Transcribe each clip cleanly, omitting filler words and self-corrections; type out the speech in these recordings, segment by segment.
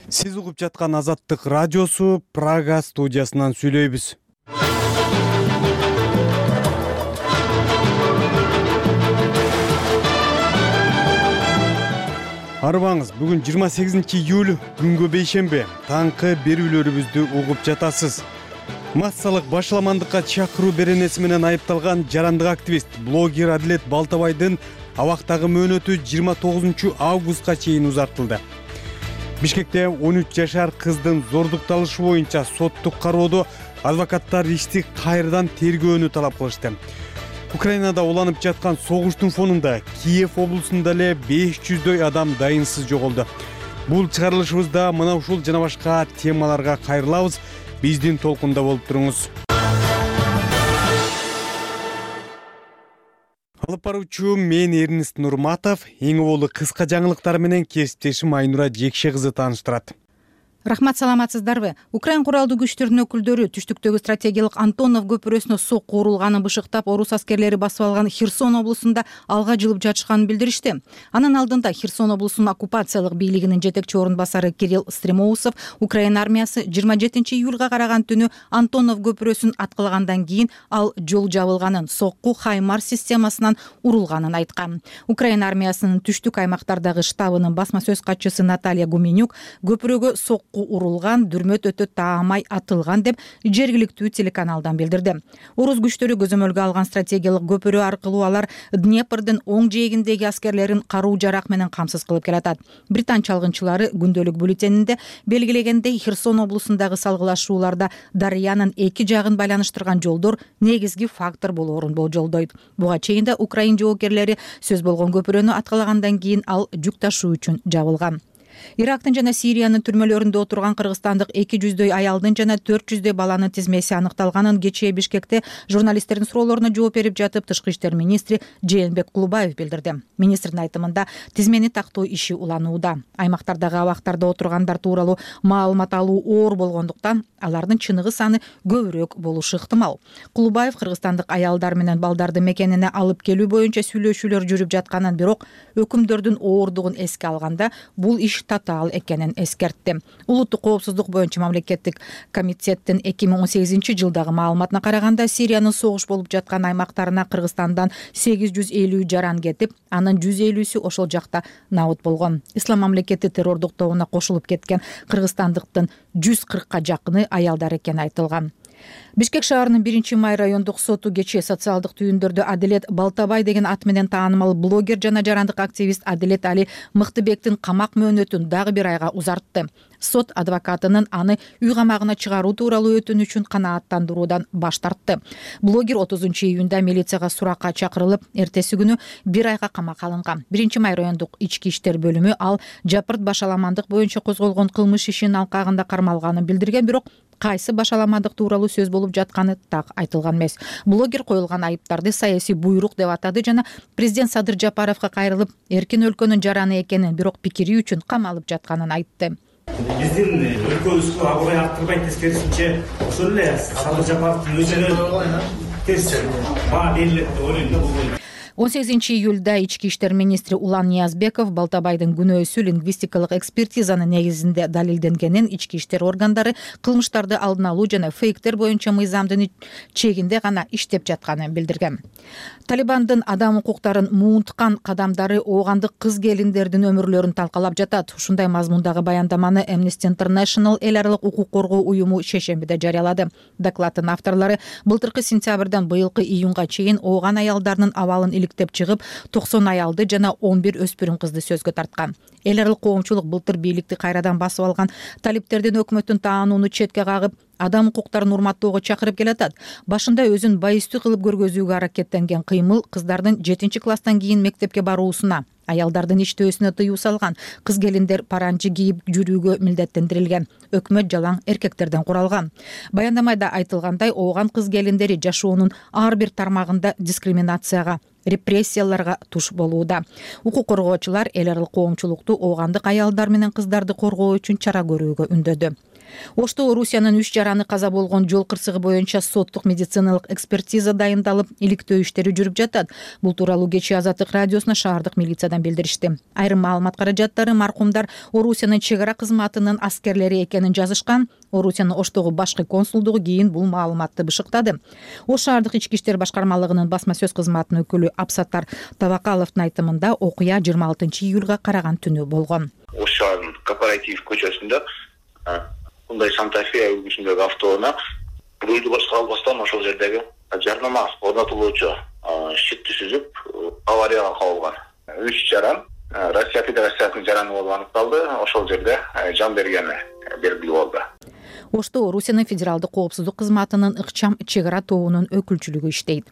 Сиз угуп жаткан Азаттык радиосу Прага студиясынан сүйлөйбүз. Арбаңыз, бүгүн 28-июль, күнгө бейшембе. Таңкы берүүлөрүбүздү угуп жатасыз. Массалык башаламандыкка чакыруу беренеси менен айыпталган жарандык активист, блогер Адилет Балтабайдын абактагы мөөнөтү 29 августка чейин узартылды. Бишкекте 13 жашар кыздын зордукталышы боюнча соттук кароодо адвокаттар ишти кайрадан тергөөнү талап кылышты. Украинада уланып жаткан согуштун фонунда Киев облусунда эле 500дөй адам дайынсыз жоголду. Бул чыгарылышыбызда мына ушул жана башка темаларга кайрылабыз. Биздин толкунда болуп туруңуз. Алып баруучу мен Эрнист Нурматов, эң оболу кыска жаңылыктар менен кесиптешим Айнура Жекше кызы тааныштырат. Рахмат, саламатсыздарбы? Украин куралдуу күчтөрүнүн өкүлдөрү түштүктөгү стратегиялык Антонов көпүрөсүнө сокку урулганын бышыктап, орус аскерлери басып алган Херсон облусунда алга жылып жатышканын билдиришти. Анын алдында Херсон облусунун оккупациялык бийлигинин жетекчи орун басары Кирилл Стремоусов Украина армиясы 27-июлга караган түнү Антонов көпүрөсүн аткылагандан кийин ал жол жабылганын, сокку Хаймар системасынан урулганын айткан. Украина армиясынын түштүк аймактардагы штабынын басма сөз катчысы Наталья Гуменюк көпүрөгө сокку урулган, дүрмөт өтө таамай атылган деп жергиликтүү телеканалдан билдирди. Орус күчтөрү көзөмөлгө алган стратегиялык көпүрө аркылуу алар Днепрдин оң жээгиндеги аскерлерин каруу жарак менен камсыз кылып келатат. Британ чалгынчылары күндөлүк бюллетенинде белгилегендей Херсон облусундагы салгылашууларда Дарыянын эки жагын байланыштырган жолдор негизги фактор болоорун болжолдойт. Буга чейин да Украин жоокерлери сөз болгон көпүрөнү аткылагандан кийин ал жүк ташуу үчүн жабылган. Ирактын жана Сириянын түрмөлөрүндө отурган кыргызстандык 200дөй аялдын жана 400дөй баланын тизмеси аныкталганын кечээ Бишкекте журналисттердин суроолоруна жооп берип жатып Тышкы иштер министри Жээнбек Кулубаев билдирди. Министрдин айтымында тизмени тактоо иши уланууда. Аймактардагы абактарда отургандар тууралуу маалымат алуу оор болгондуктан алардын чыныгы саны көбүрөөк болушу ыктымал. Кулубаев кыргызстандык аялдар менен балдарды мекенине алып келүү боюнча сүйлөшүүлөр жүрүп жатканын, бирок өкүмдөрдүн оордугун эске алганда бул иш татаал экенин эскертти. Улуттук коопсуздук боюнча мамлекеттик комитеттин 2018-жылдагы маалыматына караганда Сириянын согуш болуп жаткан аймактарына Кыргызстандан 850 жаран кетип, анын 150сү ошол жакта набыт болгон. Ислам мамлекети террордук тобуна кошулуп кеткен кыргызстандыктын 140ка жакыны аялдар экени айтылган. Бишкек шаарынын 1-май райондук соту кечээ социалдык түйүндөрдө Адилет Балтабай деген ат менен таанымал блогер жана жарандык активист Адилет Али Мыктыбектин камак мөөнөтүн дагы бир айга узартты. Сот адвокатынын аны үй камагына чыгаруу тууралуу өтүнүчүн канааттандыруудан баш тартты. Блогер 30-июнда милицияга суракка чакырылып, эртеси күнү бир айга камакка алынган. 1-май райондук ички иштер бөлүмү ал жапырт башаламандык боюнча козголгон кылмыш ишинин алкагында кармалганын билдирген, бирок кайсы башаламандык тууралуу сөз болуп жатканы так айтылган эмес. Блогер коюлган айыптарды саясий буйрук деп атады жана президент Садыр Жапаровго кайрылып, эркин өлкөнүн жараны экенин, бирок пикири үчүн камалып жатканын айтты. Биздин өлкөбүзгө аброй арттырбайт, тескерисинче ошол эле Садыр Жапаровдун өзүнө терс баа берилет деп ойлойм да бул. 18-июлда ички иштер министри Улан Ниязбеков Балтабайдын күнөөсү лингвистикалык экспертизанын негизинде далилденгенин, ички иштер органдары кылмыштарды алдын алуу жана фейктер боюнча мыйзамдын чегинде гана иштеп жатканын билдирген. Талибандын адам укуктарын муунткан кадамдары оогандык кыз келиндердин өмүрлөрүн талкалап жатат. Ушундай мазмундагы баяндаманы Amnesty International эл аралык укук коргоо уюму шейшембиде жарыялады. Докладдын авторлору былтыркы сентябрдан быйылкы июнга чейин ооган аялдардын абалын иликтеп чыгып, 90 аялды жана 11 өспүрүм кызды сөзгө тарткан. Эл аралык коомчулук былтыр бийликти кайрадан басып алган талиптердин өкмөттүн таанууну четке кагып, адам укуктарын урматтоого чакырып келатат. Башында өзүн байыстуу кылып көргөзүүгө аракеттенген кыймыл кыздардын 7-класстан кийин мектепке баруусуна, аялдардын иштөөсүнө тыюу салган. Кыз келиндер паранчы кийип жүрүүгө милдеттендирилген. Өкмөт жалаң эркектерден куралган. Баяндамада айтылгандай, ооган кыз келиндери жашоонун ар бир тармагында дискриминацияга, репрессияларга туш болууда. Укук коргоочулар эл аралык коомчулукту оогандык аялдар менен кыздарды коргоо үчүн чара көрүүгө үндөдү. Ошто Орусиянын 3 жараны каза болгон жол кырсыгы боюнча соттук медициналык экспертиза дайындалып, иликтөө иштери жүрүп жатат. Бул тууралуу кечээ Азаттык радиосуна шаардык милициядан билдиришти. Айрым маалымат каражаттары маркумдар Орусиянын чек ара кызматынын аскерлери экенин жазышкан. Орусиянын Оштогу башкы консулдугу кийин бул маалыматты бышыктады. Ош шаардык ички иштер башкармалыгынын басма сөз кызматынын өкүлү Абсаттар Табакаловдун айтымында окуя 26-июлга караган түнү болгон. Ош шаарынын Кооператив көчөсүндө мындай Санта-Фе үлгүсүндөгү автоунаа рулду башка албастан ошол жердеги жарнама орнотулуучу щитти сүзүп аварияга кабылган. 3 жаран Россия Федерациясынын жараны болуп аныкталды. Ошол жерде жан бергени белгилүү болду. Ошто Орусиянын федералдык коопсуздук кызматынын ыкчам чек ара тобунун өкүлчүлүгү иштейт.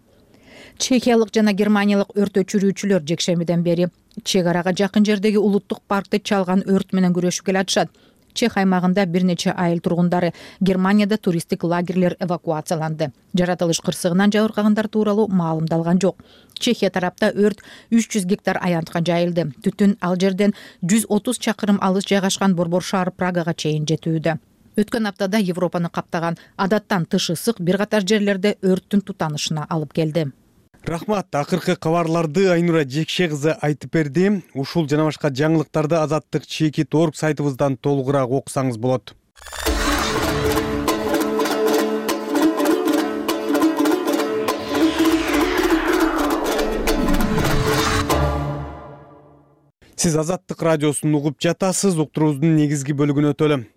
Чехиялык жана германиялык өрт өчүрүүчүлөр жекшембиден бери чек арага жакын жердеги улуттук паркты чалган өрт менен күрөшүп келатышат. Чех аймагында бир нече айыл тургундары Германияда туристтик лагерлер эвакуацияланды. Жаратылыш кырсыгынан жабыркагандар тууралуу маалымдалган жок. Чехия тарапта өрт 300 гектар аянтка жайылды. Түтүн ал жерден 130 чакырым алыс жайгашкан борбор шаар Прагага чейин жетүүдө. Өткөн аптада Европаны каптаган адаттан тыш ысык бир катар жерлерде өрттүн тутанышына алып келди. Рахмат, акыркы кабарларды Айнура Жекше кызы айтып берди. Ушул жана башка жаңылыктарды Азаттык Чекит.org сайтыбыздан толугураак окусаңыз болот. Сиз Азаттык радиосун угуп жатасыз. Уктуруубуздун негизги бөлүгүнө өтөлү.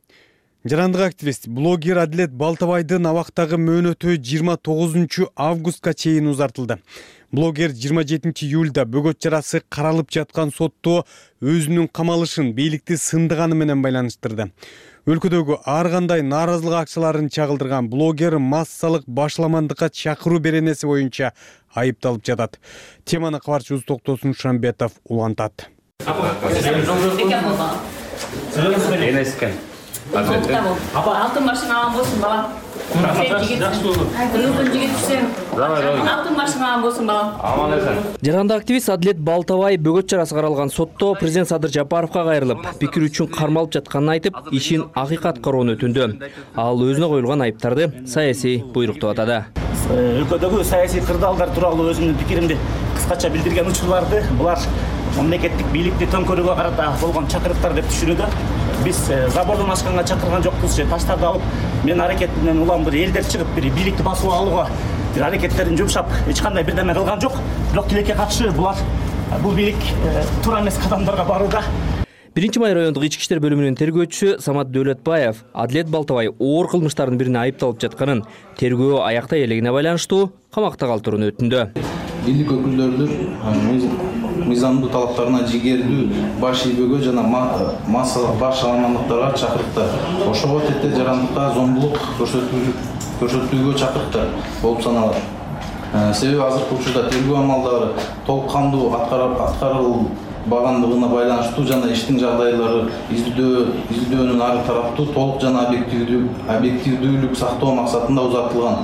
Жарандык активист, блогер Адилет Балтабайдын абактагы мөөнөтү 29 августка чейин узартылды. Блогер 27 июлда бөгөт жарасы каралып жаткан сотто өзүнүн камалышын бийликти сындыганы менен байланыштырды. Өлкөдөгү ар кандай нааразылык акчаларын чагылдырган блогер массалык башламандыкка чакыруу беренеси боюнча айыпталып жатат. Теманы кабарчыбыз Токтосун Шамбетов улантат. Алтын машина болсун балам. Алтын машина болсун балам. Жаранды активист Адилет Балтабай бөгөт жарасы каралган сотто президент Садыр Жапаровго кайрылып, пикир үчүн кармалып жатканын айтып, ишин акыйкат кароону өтүндү. Ал өзүнө коюлган айыптарды саясий буйрук деп атады. Өлкөдөгү саясий кырдаалдар тууралуу өзүмдүн пикиримди кыскача билдирген учурларды булар мамлекеттик бийликти төңкөрүүгө карата болгон чакырыктар деп түшүнүүдө. Биз забордон ашканга чакырган жокпуз же таштарды алып мен аракет менен улам бир элдер чыгып бир бийликти басып алууга бир аракеттерин жумшап эч кандай бирдеме кылган жок. Бирок тилекке каршы булар бул бийлик туура эмес кадамдарга барууда. 1-май райондук ички иштер бөлүмүнүн тергөөчүсү Самат Дөөлөтбаев Адилет Балтабай оор кылмыштардын бирине айыпталып жатканын, тергөө аяктай элегине байланыштуу камакта калтырууну өтүндү. Бийлик өкүлдөрүнүн мыйзамдуу талаптарына жигердүү баш ийбөөгө жана массалык баш амандыктарга чакырыктар. Ошого тетте жарандыкка зомбулук көрсөтүүгө чакырыктар болуп саналат. Себеби азыркы учурда тергөө амалдары толук кандуу аткарылбагандыгына байланыштуу жана иштин жагдайлары изилдөөнүн ар тараптуу толук жана объективдүүлүк сактоо максатында узартылган.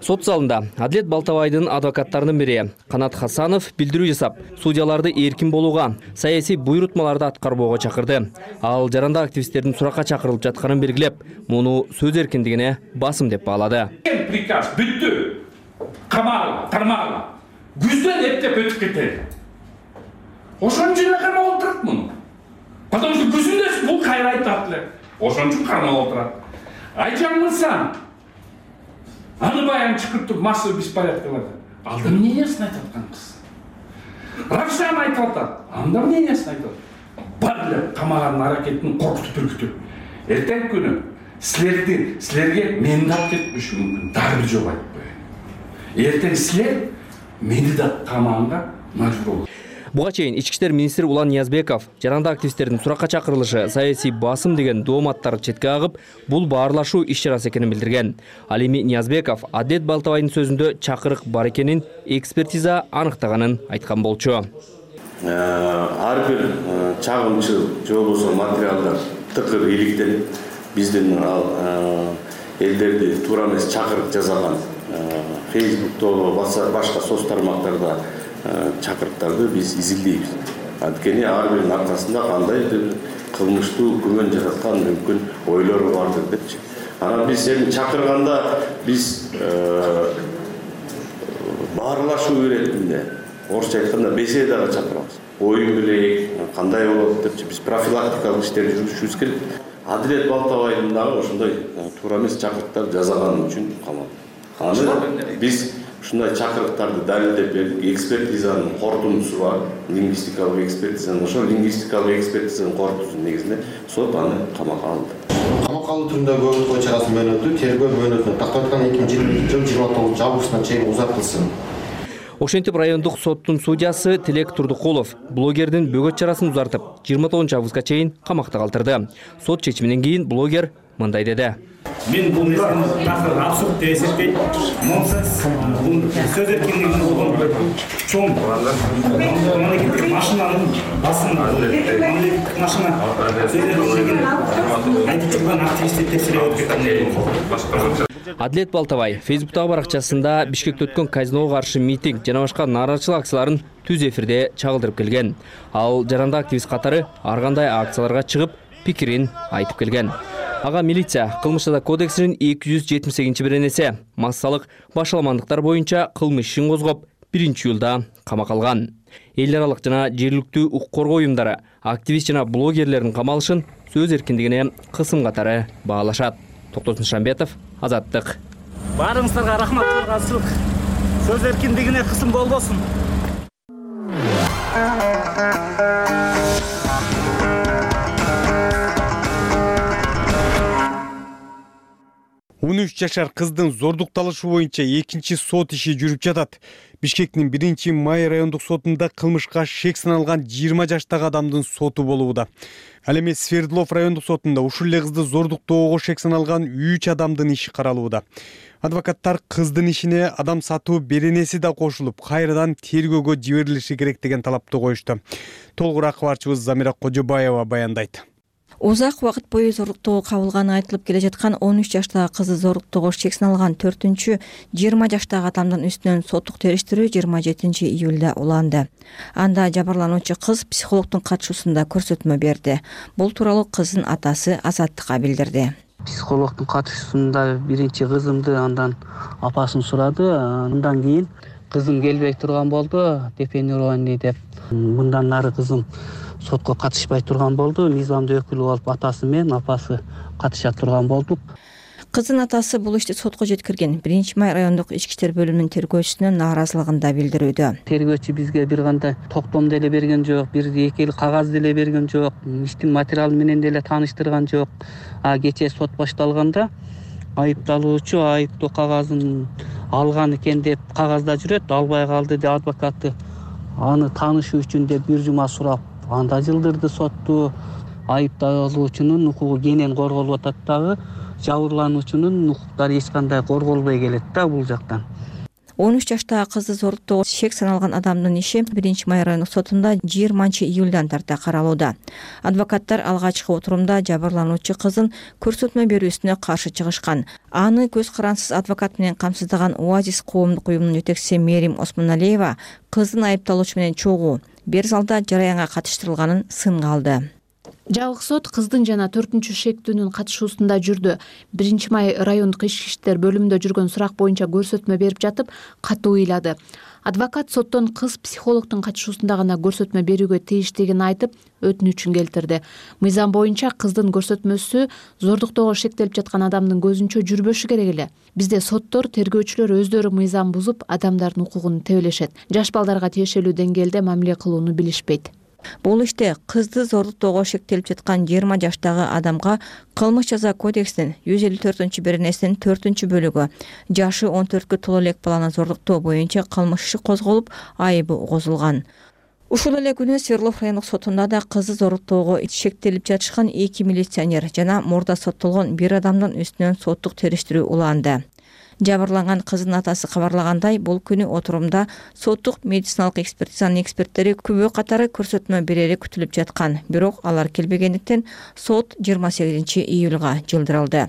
Сот залында Адилет Балтабайдын адвокаттарынын бири Канат Хасанов билдирүү жасап, судьяларды эркин болууга, саясий буйрутмаларды аткарбоого чакырды. Ал жарандык активисттердин суракка чакырылып жатканын белгилеп, муну сөз эркиндигине басым деп баалады. Приказ бүттү. Камагыла, тармагыла. Күздөн эптеп өтүп кетет. Ошон үчүн кармап отурат муну. Потому что күзүндө бул кайра айтат эле. Ошон үчүн кармап отурат. Айжан мырза, аны баягы чыкыртып массовый беспорядкаларды. Алда мнениясын айтып аткан кыз. Равшан айтып атат. Анда мнениясын айтып атат. Бар эле камаган аракетин коркутуп үркүтүп. Эртең күнү силерге мени да алып кетиши мүмкүн. Дагы бир жолу айтып коеюн. Эртең силер мени да камаганга мажбур болосуңар. Буга чейин ички иштер министри Улан Ниязбеков жарандык активисттердин суракка чакырылышы саясий басым деген дооматтарды четке агып, бул баарлашуу иш чарасы экенин билдирген. Ал эми Ниязбеков Адилет Балтабайдын сөзүндө чакырык бар экенин экспертиза аныктаганын айткан болчу. Ар бир чагымчыл же болбосо материалдар тыкыр иликтелип, биздин элдерди туура эмес чакырык жасаган Facebook'то башка соц тармактарда чакырыктарды биз изилдейбиз. Анткени ар биринин аркасында кандайдыр кылмыштуу күмөн жараткан мүмкүн ойлору бардыр депчи. Анан биз эми чакырганда биз баарлашуу иретинде, орусча айтканда беседага чакырабыз. Ой билейик, кандай болот депчи биз профилактикалык иштер жүргүзүшүбүз керек. Адилет Балтабайдын дагы ошондой туура эмес чакырыктар жасаганы үчүн камалды. Аны биз ушундай чакырыктарды далилдеп бердик. Экспертизанын корутундусу бар, лингвистикалык экспертизанын. Ошол лингвистикалык экспертизанын корутуусунун негизинде сот аны камакка алды. Камакка алуу түрүндө көбүк ой чарасы мөөнөтү тергөө мөөнөтүнө тактап аткан 2020 жыл 29 августуна чейин узартылсын. Ошентип райондук соттун судьясы Тилек Турдукулов блогердин бөгөт чарасын узартып 29 августка чейин камакта калтырды. Сот чечиминен кийин блогер мындай деди. Мен бул нерсени такыр абсурд деп эсептейм. Нонсенс. Бул сөз эркиндигинин болгон чоң мамлекеттик машинанын басын мамлекеттик машина сөз эркиндигин айтып жүргөн активисттер текшерип өткөн. Адилет Балтабай Фейсбуктагы баракчасында Бишкекте өткөн казиного каршы митинг жана башка нааразычылык акцияларын түз эфирде чагылдырып келген. Ал жарандык активист катары ар кандай акцияларга чыгып пикирин айтып келген. Ага милиция кылмыш жаза кодексинин 278-беренеси массалык башаламандыктар боюнча кылмыш ишин козгоп 1-июлда камакка алган. Эл аралык жана жергиликтүү укук коргоо уюмдары активист жана блогерлердин камалышын сөз эркиндигине кысым катары баалашат. Токтосун Шамбетов, Азаттык. Баарыңыздарга рахмат, ыраазычылык. Сөз эркиндигине кысым болбосун. 13 жашар кыздын зордукталышы боюнча экинчи сот иши жүрүп жатат. Бишкектин 1-май райондук сотунда кылмышка шек саналган 20 жаштагы адамдын соту болууда. Ал эми Свердлов райондук сотунда ушул эле кызды зордуктоого шек саналган 3 адамдын иши каралууда. Адвокаттар кыздын ишине адам сатуу беренеси да кошулуп, кайрадан тергөөгө жиберилиши керек деген талапты коюшту. Толугураак кабарчыбыз Замира Кожобаева баяндайт. Узак убакыт бою зордуктоого кабылганы айтылып келе жаткан 13 жаштагы кызды зордуктоого шек саналган 4-20 жаштагы адамдын үстүнөн соттук териштирүү 27-июлда уланды. Анда жабырлануучу кыз психологдун катышуусунда көрсөтмө берди. Бул тууралуу кыздын атасы Азаттыкка билдирди. Психологдун катышуусунда биринчи кызымды, андан апасын сурады. Андан кийин кызым келбей турган болду, депенирование деп. Мындан нары кызым сотко катышпай турган болду. Мыйзамдуу өкүлү болуп атасы менен апасы катыша турган болдук. Кыздын атасы бул ишти сотко жеткирген 1-май райондук ички иштер бөлүмүнүн тергөөчүсүнө нааразылыгын да билдирүүдө. Тергөөчү бизге бир кандай токтом деле берген жок, бир эки эл кагаз деле берген жок, иштин материалы менен деле тааныштырган жок. Кечээ сот башталганда айыпталуучу айыптоо кагазын алган экен деп кагазда жүрөт, албай калды деп адвокаты аны таанышуу үчүн деп бир жума сурап, анда жылдырды сотту. Айыпталуучунун укугу кенен корголуп атат дагы, жабырлануучунун укуктары эч кандай корголбой келет да бул жактан. 13 жаштагы кызды зордуктоого шек саналган адамдын иши 1-май райондук сотунда 20-июлдан тарта каралууда. Адвокаттар алгачкы отурумда жабырлануучу кыздын көрсөтмө берүүсүнө каршы чыгышкан. Аны көз карансыз адвокат менен камсыздаган Оазис коомдук уюмунун жетекчиси Мерим Осмоналиева кыздын айыпталуучу менен чогуу бир залда жараянга катыштырылганын сынга алды. Жабык сот кыздын жана 4-чү шектүүнүн катышуусунда жүрдү. 1-май райондук ички иштер бөлүмүндө жүргөн сурак боюнча көрсөтмө берип жатып, катуу ыйлады. Адвокат соттон кыз психологдун катышуусунда гана көрсөтмө берүүгө тийиштигин айтып, өтүнүчүн келтирди. Мыйзам боюнча кыздын көрсөтмөсү зордуктоого шектелип жаткан адамдын көзүнчө жүрбөшү керек эле. Бизде соттор, тергөөчүлөр өздөрү мыйзам бузуп, адамдардын укугун тебелешет. Жаш балдарга тиешелүү деңгээлде мамиле кылууну билишпейт. Бул иште кызды зордуктоого шектелип жаткан 20 жаштагы адамга кылмыш жаза кодексинин 154-беренесинин 4-бөлүгү жашы 14кө толо элек баланы зордуктоо боюнча кылмыш иши козголуп, айыбы угузулган. Ушул эле күнү Свердлов райондук сотунда да кызды зордуктоого шектелип жатышкан 2 милиционер жана мурда соттолгон бир адамдын үстүнөн соттук териштирүү уланды. Жабырланган кыздын атасы кабарлагандай, бул күнү отурумда соттук медициналык экспертизанын эксперттери күбө катары көрсөтмө берери күтүлүп жаткан. Бирок алар келбегендиктен сот 28-июлга жылдырылды.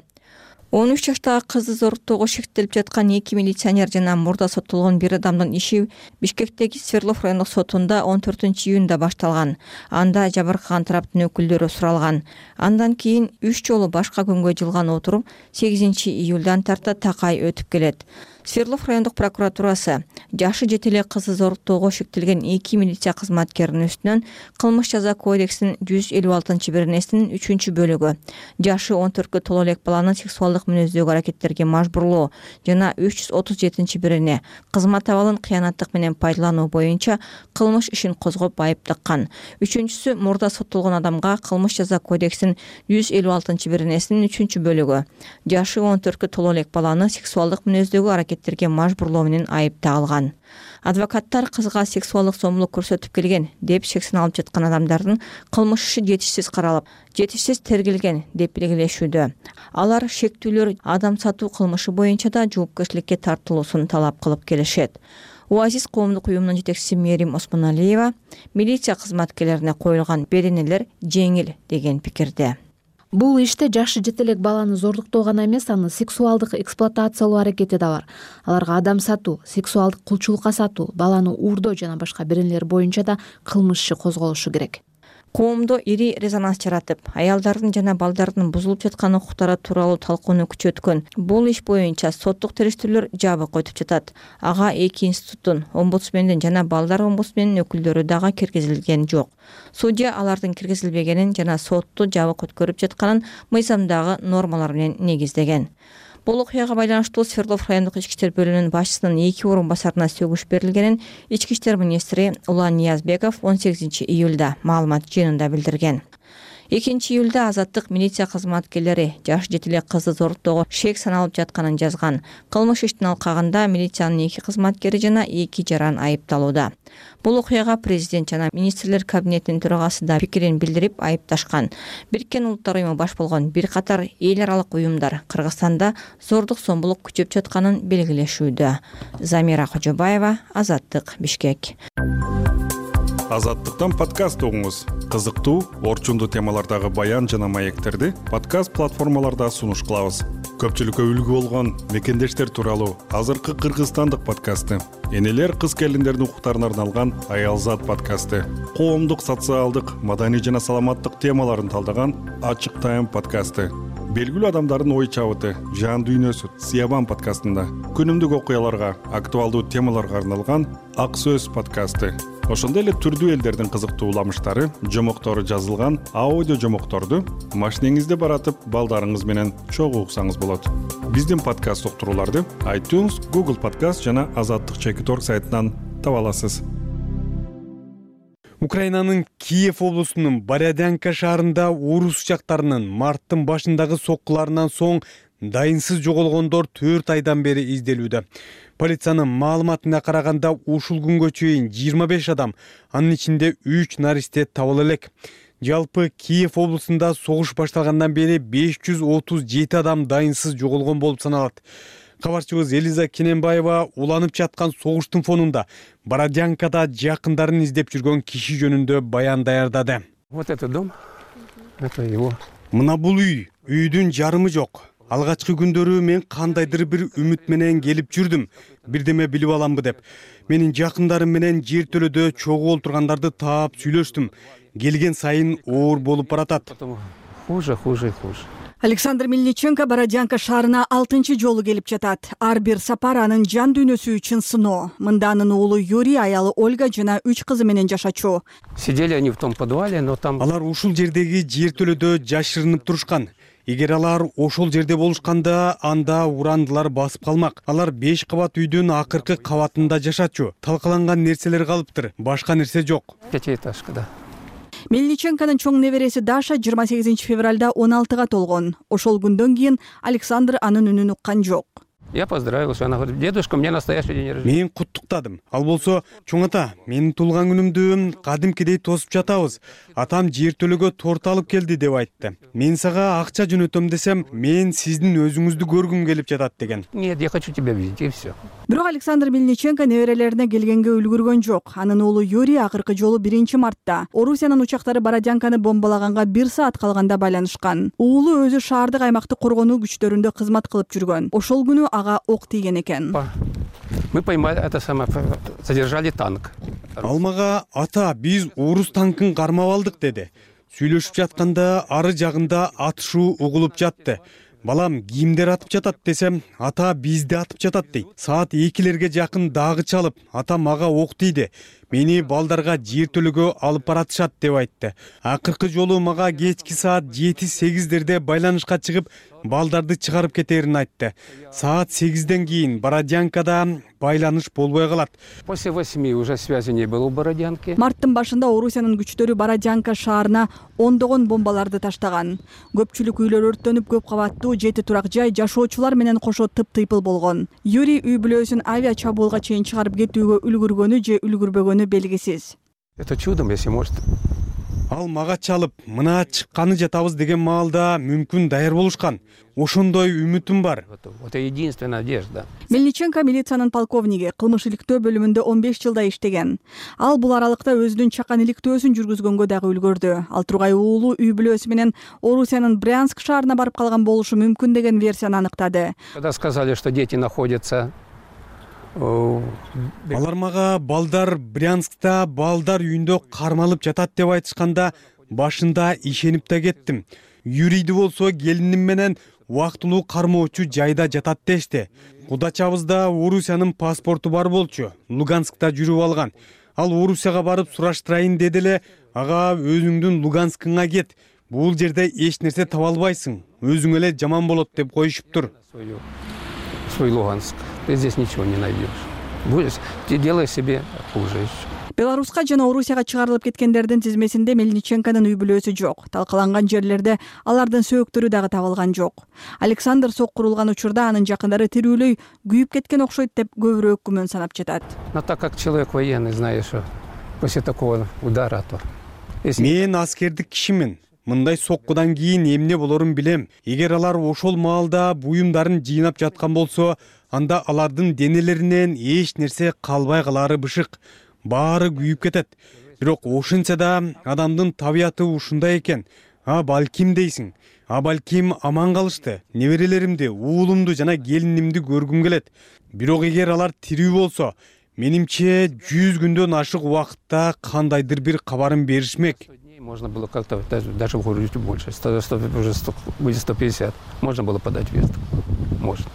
13 жаштагы кызды зоруктоого шектелип жаткан 2 милиционер жана мурда соттолгон бир адамдын иши Бишкектеги Свердлов райондук сотунда 14-июнда башталган. Анда жабыркаган тараптын өкүлдөрү суралган. Андан кийин 3 жолу башка күнгө жылган отуруп 8-июлдан тарта такай өтүп келет. Свердлов райондук прокуратурасы жашы жете эле кызды зоруктоого шектелген 2 милиция кызматкеринин үстүнөн кылмыш жаза кодексинин 156-беренесинин 3-бөлүгү жашы 14кө толо элек баланы сексуалдык мүнөздөгү аракеттерге мажбурлоо жана 337-берене кызмат абалын кыянаттык менен пайдалануу боюнча кылмыш ишин козгоп айып таккан. 3-сү мурда соттолгон адамга кылмыш жаза кодексинин 156-беренесинин 3-бөлүгү жашы 14кө толо элек баланы сексуалдык мүнөздөгү аракеттерге мажбурлоо менен айып тагылган. Адвокаттар кызга сексуалдык зомбулук көрсөтүп келген деп шек саналып жаткан адамдардын кылмыш иши жетишсиз каралып, жетишсиз тергелген деп белгилешүүдө. Алар шектүүлөр адам сатуу кылмышы боюнча да жоопкерчиликке тартылуусун талап кылып келишет. УАЗИЗ коомдук уюмунун жетекчиси Мерим Осмоналиева милиция кызматкерлерине коюлган беренелер жеңил деген пикирде. Бул иште жашы жете элек баланы зордуктоо гана эмес, аны сексуалдык эксплуатациялоо аракети да бар. Аларга адам сатуу, сексуалдык кулчулукка сатуу, баланы уурдоо жана башка беренелер боюнча да кылмыш иши козголушу керек. Коомдо ири резонанс жаратып, аялдардын жана балдардын бузулуп жаткан укуктары тууралуу талкууну күчөткөн бул иш боюнча соттук териштирүүлөр жабык өтүп жатат. Ага 2 институттун, омбудсмендин жана балдар омбудсменинин өкүлдөрү дагы киргизилген жок. Судья алардын киргизилбегенин жана сотту жабык өткөрүп жатканын мыйзамдагы нормалар менен негиздеген. Бул окуяга байланыштуу Свердлов райондук ички иштер бөлүмүнүн башчысынын 2 орун басарына сөгүш берилгенин ички иштер министри Улан Ниязбеков 18-июлда маалымат жыйынында билдирген. 2-июлда Азаттык милиция кызматкерлери жаш жете элек кызды зоруктоого шек саналып жатканын жазган. Кылмыш иштин алкагында милициянын 2 кызматкери жана 2 жаран айыпталууда. Бул окуяга президент жана министрлер кабинетинин төрагасы да пикирин билдирип айыпташкан. Бириккен Улуттар уюму баш болгон бир катар эл аралык уюмдар Кыргызстанда зордук зомбулук күчөп жатканын белгилешүүдө. Замира Кожобаева, Азаттык, Бишкек. Азаттыктан подкаст угуңуз. Кызыктуу, орчундуу темалардагы баян жана маектерди подкаст платформаларда сунуш кылабыз. Көпчүлүккө үлгү болгон мекендештер тууралуу азыркы кыргызстандык подкасты, энелер кыз келиндердин укуктарына арналган Аялзат подкасты, коомдук, социалдык, маданий жана саламаттык темаларын талдаган Ачык Тайм подкасты, белгилүү адамдардын ой чабыты, жан дүйнөсү Сиябан подкастында, күнүмдүк окуяларга, актуалдуу темаларга арналган Ак Сөз подкасты. Ошондой эле түрдүү элдердин кызыктуу уламыштары, жомоктору жазылган аудио жомокторду машинеңизде баратып, балдарыңыз менен чогуу уксаңыз болот. Биздин подкаст уктурууларды iTunes, Google Podcast жана Азаттык.org сайтынан таба аласыз. Украинанын Киев облусунун Бородянка шаарында орус жактарынын марттын башындагы соккуларынан соң дайынсыз жоголгондор 4 айдан бери изделүүдө. Полициянын маалыматына караганда ушул күнгө чейин 25 адам, анын ичинде 3 наристе табыла элек. Жалпы Киев облусунда согуш башталгандан бери 537 адам дайынсыз жоголгон болуп саналат. Кабарчыбыз Элиза Кененбаева уланып жаткан согуштун фонунда Бородянкада жакындарын издеп жүргөн киши жөнүндө баян даярдады. Вот этот дом, это его. Мына бул үйдүн жарымы жок. Алгачкы күндөрү мен кандайдыр бир үмүт менен келип жүрдүм, бирдеме билип аламбы деп. Менин жакындарым менен жер төлөдө чогуу олтургандарды таап сүйлөштүм. Келген сайын оор болуп баратат. Хуже. Александр Мельниченко Бородянка шаарына 6-чы жолу келип жатат. Ар бир сапар анын жан дүйнөсү үчүн сыноо. Мында анын уулу Юрий, аялы Ольга жана 3 кызы менен жашачу. Сидели они в том подвале, но там... Алар ушул жердеги жер төлөдө жашырынып турушкан. Эгер алар ошол жерде болушканда, анда урандылар басып калмак. Алар 5 кабат үйдүн акыркы кабатында жашачу. Талкаланган нерселер калыптыр, башка нерсе жок. Пятиэтажка, да. Мельниченконун чоң небереси Даша 28 февралда 16-га толгон. Ошол күндөн кийин Александр анын үнүн уккан жок. Я поздравился, она говорит: дедушка, у меня настоящий день рождения. Мен куттуктадым. Ал болсо, чоң ата, менин туулган күнүмдү кадимкидей тосуп жатабыз. Атам жертөлөгө торт алып келди деп айтты. Мен сага акча жөнөтөм десем, мен сиздин өзүңүздү көргүм келип жатат деген. Нет, я хочу тебя видеть, и все. Бирок Александр Мельниченко неберелерине келгенге үлгүргөн жок. Анын уулу Юрий акыркы жолу 1-мартта Орусиянын учактары Бородянканы бомбалаганга 1 саат калганда байланышкан. Уулу өзү шаардык аймактык коргонуу күчтөрүндө кызмат кылып жүргөн. Ошол күнү ага ок тийген экен. Мы поймали это самое, задержали танк. Ал мага: ата, биз орус танкын кармап алдык деди. Сүйлөшүп жатканда ары жагында атышуу угулуп жатты. Балам, кимдер атып жатат десем, ата, бизди атып жатат дейт. Саат 2-лерге жакын дагы чалып, ата мага ок тийди. Мени балдарга жертөлөгө алып баратышат деп айтты. Акыркы жолу мага кечки саат 7-8-дерде байланышка чыгып, балдарды чыгарып кетерин айтты. Саат 8-ден кийин Бородянкада байланыш болбой калат. После 8 уже связи не было у Бородянки. Марттын башында Орусиянын күчтөрү Бородянка шаарына ондогон бомбаларды таштаган. Көпчүлүк үйлөр өрттөнүп, көп кабаттуу 7 турак жай жашоочулар менен кошо тыптыйпыл болгон. Юрий үй бүлөсүн авиа чабуулга чейин чыгарып кетүүгө үлгүргөнү же үлгүрбөгөнү белгисиз. Это чудом, если может. Ал мага чалып, мына чыкканы жатабыз деген маалда мүмкүн даяр болушкан. Ошондой үмүтүм бар. Это единственная надежда. Мельниченко милициянын полковниги, кылмыш иликтөө бөлүмүндө 15 жылда иштеген. Ал бул аралыкта өзүнүн чакан иликтөөсүн жүргүзгөнгө дагы үлгөрдү. Ал тургай уулу үй бүлөсү менен Орусиянын Брянск шаарына барып калган болушу мүмкүн деген версияны аныктады. Когда сказали, что дети находятся, алар мага балдар Брянскта балдар үйүндө кармалып жатат деп айтышканда, башында ишенип да кеттим. Юрийди болсо келиним менен убактылуу кармоочу жайда жатат дешти. Кудачабызда Орусиянын паспорту бар болчу. Луганскта жүрүп алган. Ал Орусияга барып сураштырайын деди эле, ага өзүңдүн Луганскыңа кет. Бул жерде эч нерсе таба албайсың. Өзүң эле жаман болот деп коюшуптур. Свой Луганск. Ты здесь ничего не найдешь. Ты делай себе хуже. Беларуска жана Орусияга чыгарылып кеткендердин тизмесинде Мельниченконун үй бүлөсү жок. Талкаланган жерлерде алардын сөөктөрү дагы табылган жок. Александр соккурулган учурда анын жакындары тирүүлөй күйүп кеткен окшойт деп көбүрөөк күмөн санап жатат. Но так как человек военный, знаешь, что после такого удара, то... Мен аскердик кишимин. Мындай соккудан кийин эмне болорун билем. Эгер алар ошол маалда буюмдарын жыйнап жаткан болсо, анда алардын денелеринен эч нерсе калбай калары бышык. Баары күйүп кетет. Бирок ошентсе да адамдын табияты ушундай экен. Балким дейсиң. Балким аман калышты. Неберелеримди, уулумду жана келинимди көргүм келет. Бирок эгер алар тирүү болсо, менимче 100 күндөн ашык убакытта кандайдыр бир кабарын беришмек. Можно было как-то даже выгрузить больше. Уже будет 150. Можно было подать вестку. Можно.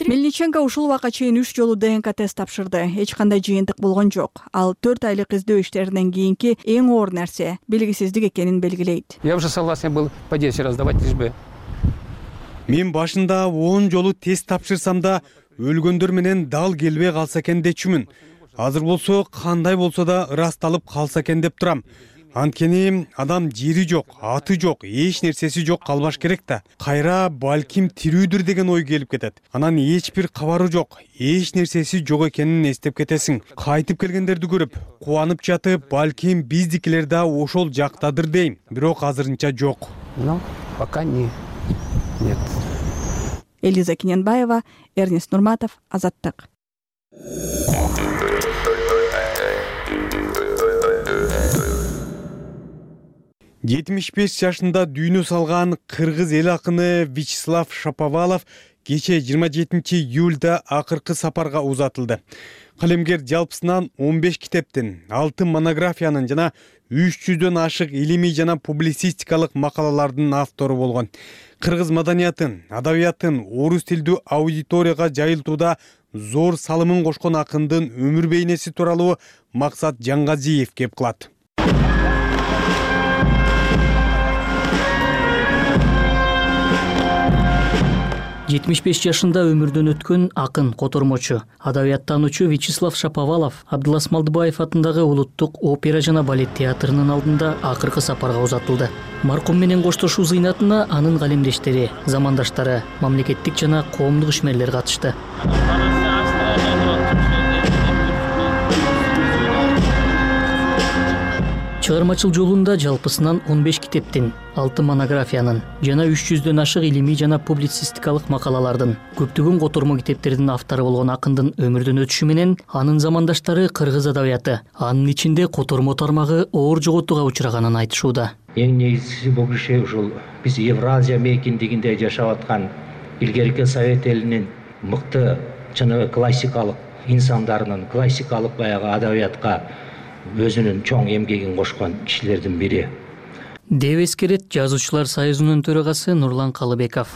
Мельниченко ушул убакка чейин 3 жолу ДНК тест тапшырды. Эч кандай жыйынтык болгон жок. Ал 4 айлык издөө иштеринен кийинки эң оор нерсе белгисиздик экенин белгилейт. Я уже согласен был по 10 раз давать, лишь бы. Мен башында 10 жолу тест тапшырсам да өлгөндөр менен дал келбей калса экен дечүмүн. Азыр болсо кандай болсо да ырасталып калса экен деп турам. Анткени адам жери жок, аты жок, эч нерсеси жок калбаш керек да. Кайра балким тирүүдүр деген ой келип кетет. Анан эч бир кабары жок, эч нерсеси жок экенин эстеп кетесиң. Кайтып келгендерди көрүп, кубанып жатып, балким биздикилер да ошол жактадыр дейм. Бирок азырынча жок. Ну, пока нет. Элиза Кененбаева, Эрнест Нурматов, Азаттык. Жетимиш 5 жашында дүйнө салган кыргыз эл акыны Вячеслав Шаповалов кече 27 июлда акыркы сапарга узатылды. Калемгер жалпысынан 15 китептин, 6 монографиянын жана 300дөн ашык илимий жана публицистикалык макалалардын автору болгон. Кыргыз маданиятын, адабиятын орус тилдүү аудиторияга жайылтууда зор салымын кошкон акындын өмүр бейнеси тууралуу Максат Жаңгазиев кеп кылат. 75 жашында өмүрдөн өткөн акын, котормочу, адабияттануучу Вячеслав Шаповалов Абдылас Малдыбаев атындагы улуттук опера жана балет театрынын алдында акыркы сапарга узатылды. Маркум менен коштошуу зыйнатына анын калемдештери, замандаштары, мамлекеттик жана коомдук ишмерлер катышты. Чыгармачыл жолунда жалпысынан 15 китептин, 6 монографиянын жана 300дөн ашык илимий жана публицистикалык макалалардын, көптөгөн котормо китептердин автору болгон акындын өмүрдөн өтүшү менен анын замандаштары кыргыз адабияты, анын ичинде котормо тармагы оор жоготууга учраганын айтышууда. Эң негизгиси бул киши ушул биз Евразия мейкиндигинде жашап аткан илгерки Совет элинин мыкты жана классикалык инсандарынын, классикалык баягы адабиятка өзүнүн чоң эмгегин кошкон кишилердин бири деп эскерет Жазуучулар союзунун төрагасы Нурлан Калыбеков.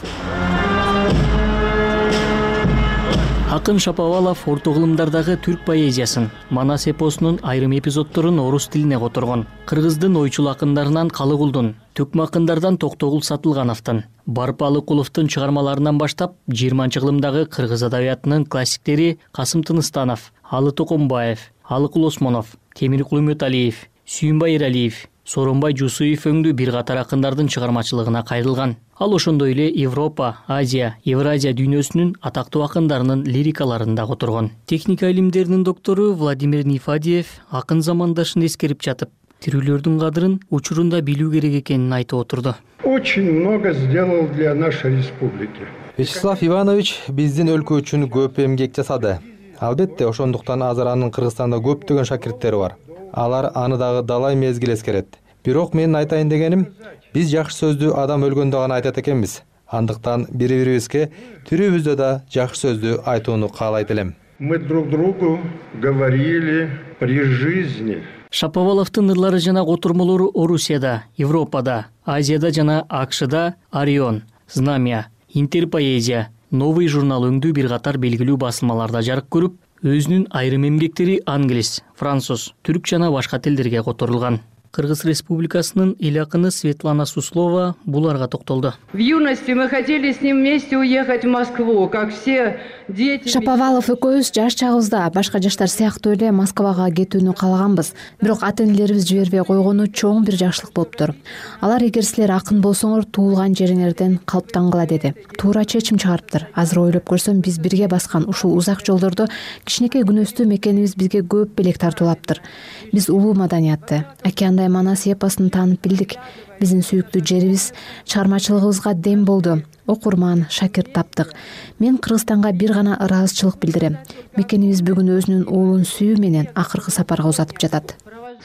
Акын Шаповалов орто кылымдардагы түрк поэзиясын, Манас эпосунун айрым эпизоддорун орус тилине которгон. Кыргыздын ойчул акындарынан Калыгулдун, Төкмө акындардан Токтогул Сатылгановдун, Барып Алыкуловдун чыгармаларынан баштап 20-кылымдагы кыргыз адабиятынын классиктери Касым Тыныстанов, Алы Токомбаев, Алыкул Осмонов, Темиркул Үмөталиев, Сүйүнбай Эралиев, Сооронбай Жусуев өңдүү бир катар акындардын чыгармачылыгына кайрылган. Ал ошондой эле Европа, Азия, Евразия дүйнөсүнүн атактуу акындарынын лирикаларын да которгон. Техника илимдеринин доктору Владимир Нифадиев акын замандашын эскерип жатып, тирүүлөрдүн кадырын учурунда билүү керек экенин айтып отурду. Очень много сделал для нашей республики. Вячеслав Иванович биздин өлкө үчүн көп эмгек жасады. Албетте, ошондуктан азыр анын Кыргызстанда көптөгөн шакирттери бар. Алар аны дагы далай мезгил эскерет. Бирок менин айтайын дегеним, биз жакшы сөздү адам өлгөндө гана айтат экенбиз. Андыктан бири-бирибизге тирүүбүздө да жакшы сөздү айтууну каалайт элем. Мы друг другу говорили при жизни. Шаповаловдун ырлары жана котормолору Орусияда, Европада, Азияда жана АКШда Орион, Знамя, Интерпоэзия, Новый журнал өңдүү бир катар белгилүү басылмаларда жарык көрүп, өзүнүн айрым эмгектери англис, француз, түрк жана башка тилдерге которулган. Кыргыз Республикасынын эл акыны Светлана Суслова буларга токтолду. В юности мы хотели с ним вместе уехать в Москву, как все дети. Шаповалов экөөбүз жаш чагыбызда башка жаштар сыяктуу эле Москвага кетүүнү каалаганбыз. Бирок ата-энелерибиз жибербей койгону чоң бир жакшылык болуптур. Алар эгер силер акын болсоңор туулган жериңерден калыптангыла деди. Туура чечим чыгарыптыр. Азыр ойлоп көрсөм, биз бирге баскан ушул узак жолдордо кичинекей күнөстүү мекенибиз бизге көп белек тартуулаптыр. Биз улуу маданиятты, океандай Манас эпосун таанып билдик. Биздин сүйүктүү жерибиз чыгармачылыгыбызга дем болду. Окурман, шакирт таптык. Мен Кыргызстанга бир гана ыраазычылык билдирем. Мекенибиз бүгүн өзүнүн уулун сүйүү менен акыркы сапарга узатып жатат.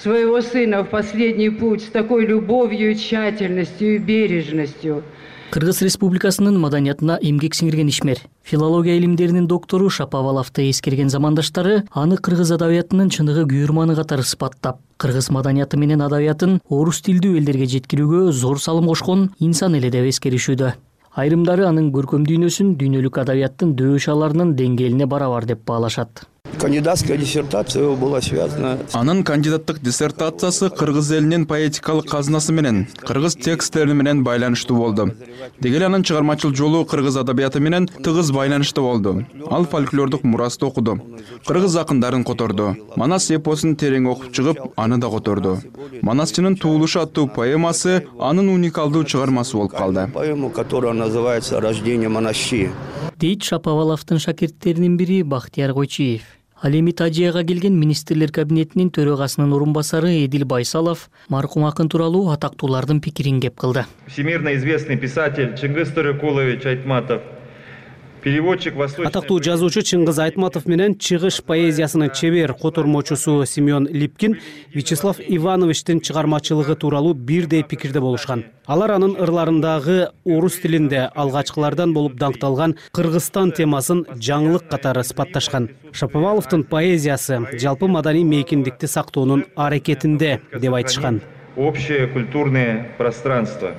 Своего сына в последний путь с такой любовью, тщательностью и бережностью. Кыргыз Республикасынын маданиятына эмгек сиңирген ишмер, филология илимдеринин доктору Шаповаловду эскерген замандаштары аны кыргыз адабиятынын чыныгы күйөрманы катары сыпаттап, кыргыз маданияты менен адабиятын орус тилдүү элдерге жеткирүүгө зор салым кошкон инсан эле деп эскеришүүдө. Айрымдары анын көркөм дүйнөсүн дүйнөлүк адабияттын дөшаларынын деңгээлине барабар деп баалашат. Кандидатская диссертация была связана. Анын кандидаттык диссертациясы кыргыз элинин поэтикалык казынасы менен, кыргыз тексттери менен байланыштуу болду. Деги эле анын чыгармачыл жолу кыргыз адабияты менен тыгыз байланыштуу болду. Ал фольклордук мурасты окуду. Кыргыз акындарын которду. Манас эпосун терең окуп чыгып, аны да которду. Манасчынын туулушу аттуу поэмасы анын уникалдуу чыгармасы болуп калды. Поэма, которая называется «Рождение монащи». Дейт Шаповаловдун шакирттеринин бири Бактияр Койчиев. Ал эми Тажияга келген министрлер кабинетинин төрагасынын орун басары Эдил Байсалов маркум акын тууралуу атактуулардын пикирин кеп кылды. Всемирно известный писатель Чыңгыз Төрөкулович Айтматов, переводчик восточный... Атактуу жазуучу Чыңгыз Айтматов менен чыгыш поэзиясынын чебер котормочусу Семен Липкин Вячеслав Ивановичтин чыгармачылыгы тууралуу бирдей пикирде болушкан. Алар анын ырларындагы орус тилинде алгачкылардан болуп даңкталган Кыргызстан темасын жаңылык катары сыпатташкан. Шаповаловдун поэзиясы жалпы маданий мейкиндикти сактоонун аракетинде деп айтышкан. Общее культурное пространство.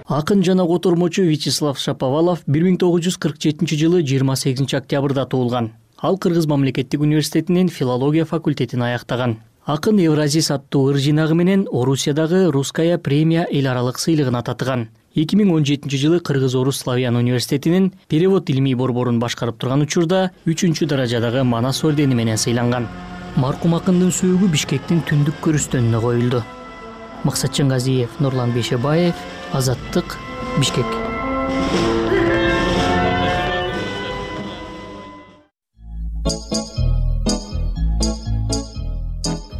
Акын жана котормочу Вячеслав Шаповалов 1947 жылы 28 октябрда туулган. Ал Кыргыз мамлекеттик университетинин филология факультетин аяктаган. Акын Евразис аттуу ыр жинагы менен Орусиядагы Русская премия эл аралык сыйлыгына татыган. 2017 жылы Кыргыз-Орус славян университетинин перевод илимий борборун башкарып турган учурда 3 даражадагы Манас ордени менен сыйланган. Маркум акындын сөөгү Бишкектин түндүк көрүстөнүнө коюлду. Максатжан Газиев, Нурлан Бейшебаев, Азаттык, Бишкек.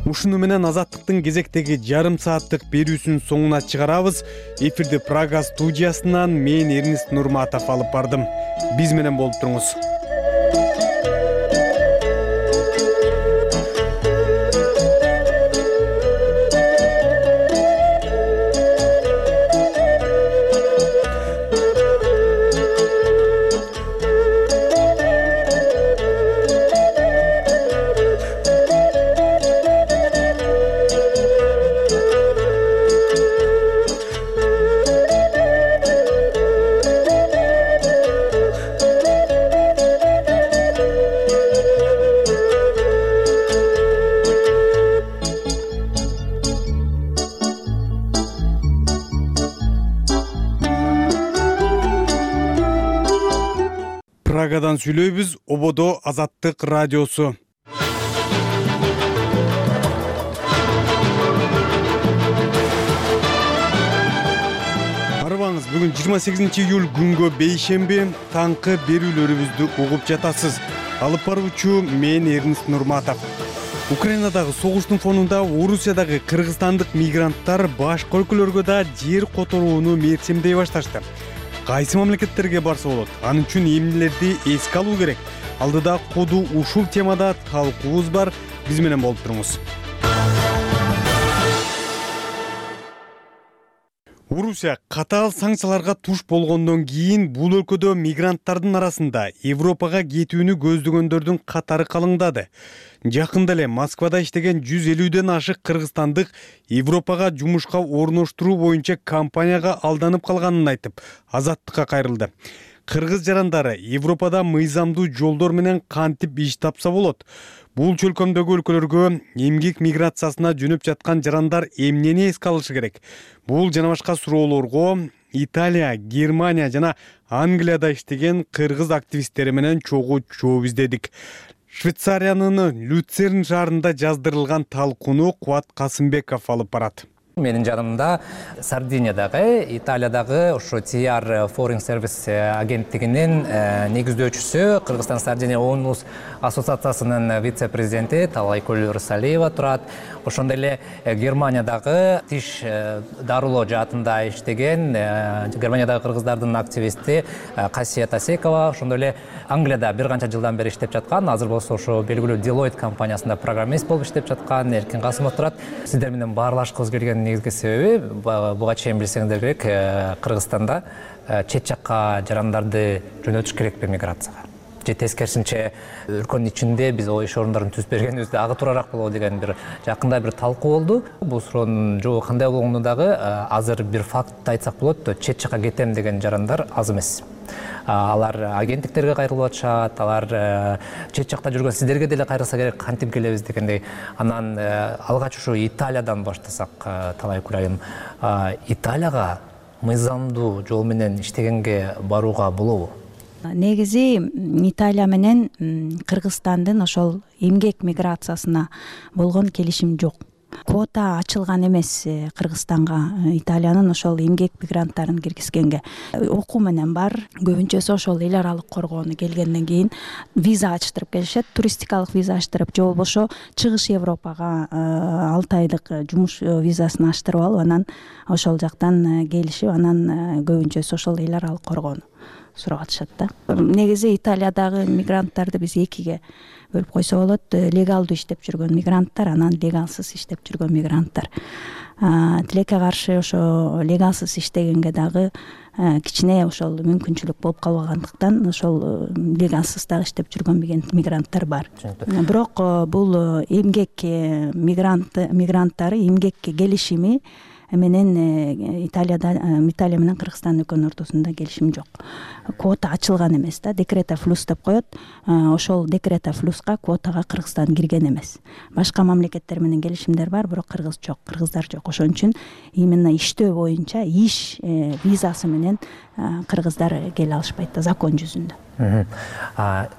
Ушуну менен Азаттыктын кезектеги жарым сааттык берүүсүнүн соңуна чыгарабыз. Эфирди Прага студиясынан мен Эрнист Нурматов алып бардым. Биз менен болуп туруңуз. Прагадан сүйлөйбүз, Ободо Азаттык радиосу. Арыбаңыз, бүгүн 28 июль күнгө бейшемби, таңкы берүүлөрүбүздү угуп жатасыз. Алып баруучу мен Эрнист Нурматов. Украинадагы согуштун фонунда Орусиядагы кыргызстандык мигранттар башка өлкөлөргө да жер которууну мерчемдей башташты. Кайсы мамлекеттерге барса болот? Анын үчүн эмнелерди эске алуу керек? Алдыда коду ушул темада талкуубуз бар. Биз менен болуп туруңуз. Орусия катаал санкцияларга туш болгондон кийин бул өлкөдө мигранттардын арасында Европага кетүүнү көздөгөндөрдүн катары калыңдады. Жакында эле Москвада иштеген 150ден ашык кыргызстандык Европага жумушка орноштуруу боюнча компанияга алданып калганын айтып, Азаттыкка кайрылды. Кыргыз жарандары Европада мыйзамдуу жолдор менен кантип иш тапса болот? Бул чөлкөмдөгү өлкөлөргө эмгек миграциясына жөнөп жаткан жарандар эмнени эске алышы керек? Бул жана башка суроолорго Италия, Германия жана Англияда иштеген кыргыз активисттери менен чогуу жооп издедик. Швейцариянын Люцерн шаарында жаздырылган талкууну Кубат Касымбеков алып барат. Менин жанымда Сардиниядагы, Италиядагы ошо TR Foreign Service агенттигинин негиздөөчүсү, Кыргызстан Сардиния Оонус ассоциациясынын вице-президенти Талайкөл Рысалиева турат. Ошондой эле Германиядагы тиш дарылоо жаатында иштеген Германиядагы кыргыздардын активисти Касия Тасекова, ошондой эле Англияда бир канча жылдан бери иштеп жаткан, азыр болсо ошо белгилүү Deloitte компаниясында программист болуп иштеп жаткан Эркин Касымов турат. Сиздер менен баарлашкыбыз келген негизги себеби, буга чейин билсеңиздер керек, Кыргызстанда чет жакка жарандарды жөнөтүш керекпи миграцияга? Же тескерисинче өлкөнүн ичинде биз иш орундарын түзүп бергенибизде ага туурараак болобу деген бир жакында бир талкуу болду. Бул суроонун жообу кандай болгону дагы азыр бир факт айтсак болот, чет жакка кетем деген жарандар аз эмес. Алар агенттиктерге кайрылып атышат, алар чет жакта жүргөн сиздерге деле кайрылса керек, кантип келебиз дегендей. Анан алгач ушу Италиядан баштасак, Талайкүл айым, Италияга мыйзамдуу жол менен иштегенге барууга болобу? Негизи Италия менен Кыргызстандын ошол эмгек миграциясына болгон келишим жок. Квота ачылган эмес Кыргызстанга Италиянын ошол эмгек мигранттарын киргизгенге. Окуу менен бар. Көбүнчөсү ошол эл аралык коргоону келгенден кийин виза ачтырып келишет, туристикалык виза ачтырып, же болбосо Чыгыш Европага 6 айлык жумуш визасын ачтырып алып, анан ошол жактан келишип, анан көбүнчөсү ошол эл аралык коргоону сурап атышат да. Негизи Италиядагы мигранттарды биз экиге бөлүп койсо болот. Легалдуу иштеп жүргөн мигранттар, анан легалсыз иштеп жүргөн мигранттар. Тилекке каршы ошо легалсыз иштегенге дагы кичине ошол мүмкүнчүлүк болуп калбагандыктан ошол легалсыз дагы иштеп жүргөн мигранттар бар. Бирок бул эмгек мигранттары эмгекке келишими менен Италия менен Кыргызстан экөөнүн ортосунда келишим жок. Квота ачылган эмес да, декрета флюс деп коет. Ошол декрета флюска квотага Кыргызстан кирген эмес. Башка мамлекеттер менен келишимдер бар, бирок кыргыздар жок. Ошон үчүн именно иштөө боюнча иш визасы менен кыргыздар келе алышпайт да, закон жүзүндө.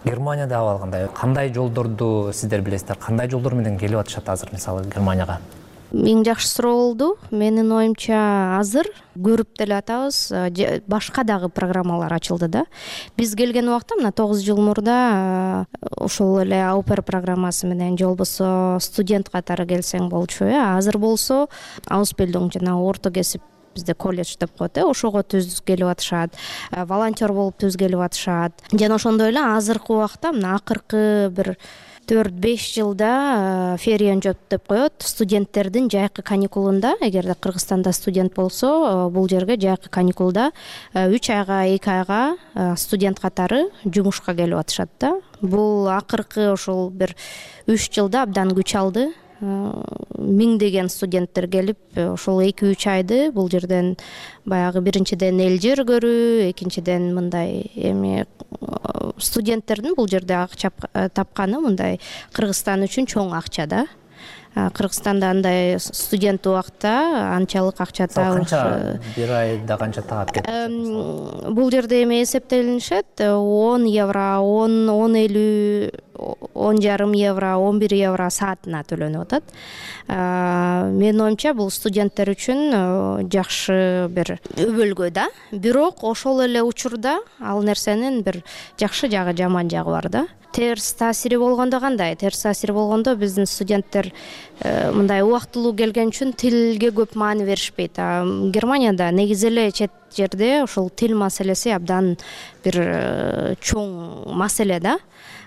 Германияда абал кандай жолдорду сиздер билесиздер? Кандай жолдор менен келип атышат азыр мисалы Германияга? Эң жакшы суроо болду. Менин оюмча азыр көрүп деле атабыз, башка дагы программалар ачылды да. Биз келген убакта мына 9 жыл мурда ошол эле аупер программасы менен же болбосо студент катары келсең болчу. Азыр болсо Ausbildung жана орто кесип бизде колледж деп коет, ошого түз келип атышат, волонтер болуп түз келип атышат. Жана ошондой эле азыркы убакта мына акыркы бир 4-5 жылда ферия жоп деп коет. Студенттердин жайкы каникулунда, эгерде Кыргызстанда студент болсо, бул жерге жайкы каникулда 3 айга 2 айга студент катары жумушка келип атышат да. Бул акыркы ошол бир 3 жылда абдан күч алды. Миңдеген студенттер келип, ошол 2-3 айды бул жерден баягы биринчиден эл жер көрүү, экинчиден мындай эми студенттердин бул жерде акча тапканы мындай Кыргызстан үчүн чоң акча да. Кыргызстанда андай студент убакта анчалык акча табыш. Канча бир айда канча таап кетет? Бул жерде эми эсептелинишет 10 евро, 10-50, 10,5 евро, 11 евро саатына төлөнүп атат. Менин оюмча бул студенттер үчүн жакшы бир өбөлгө да. Бирок ошол эле учурда ал нерсенин бир жакшы жагы, жаман жагы бар да. Терс таасири болгондо кандай? Терс таасири болгондо биздин студенттер мындай убактылуу келген үчүн тилге көп маани беришпейт. Германияда негизи эле чет жерде ошол тил маселеси абдан бир чоң маселе да.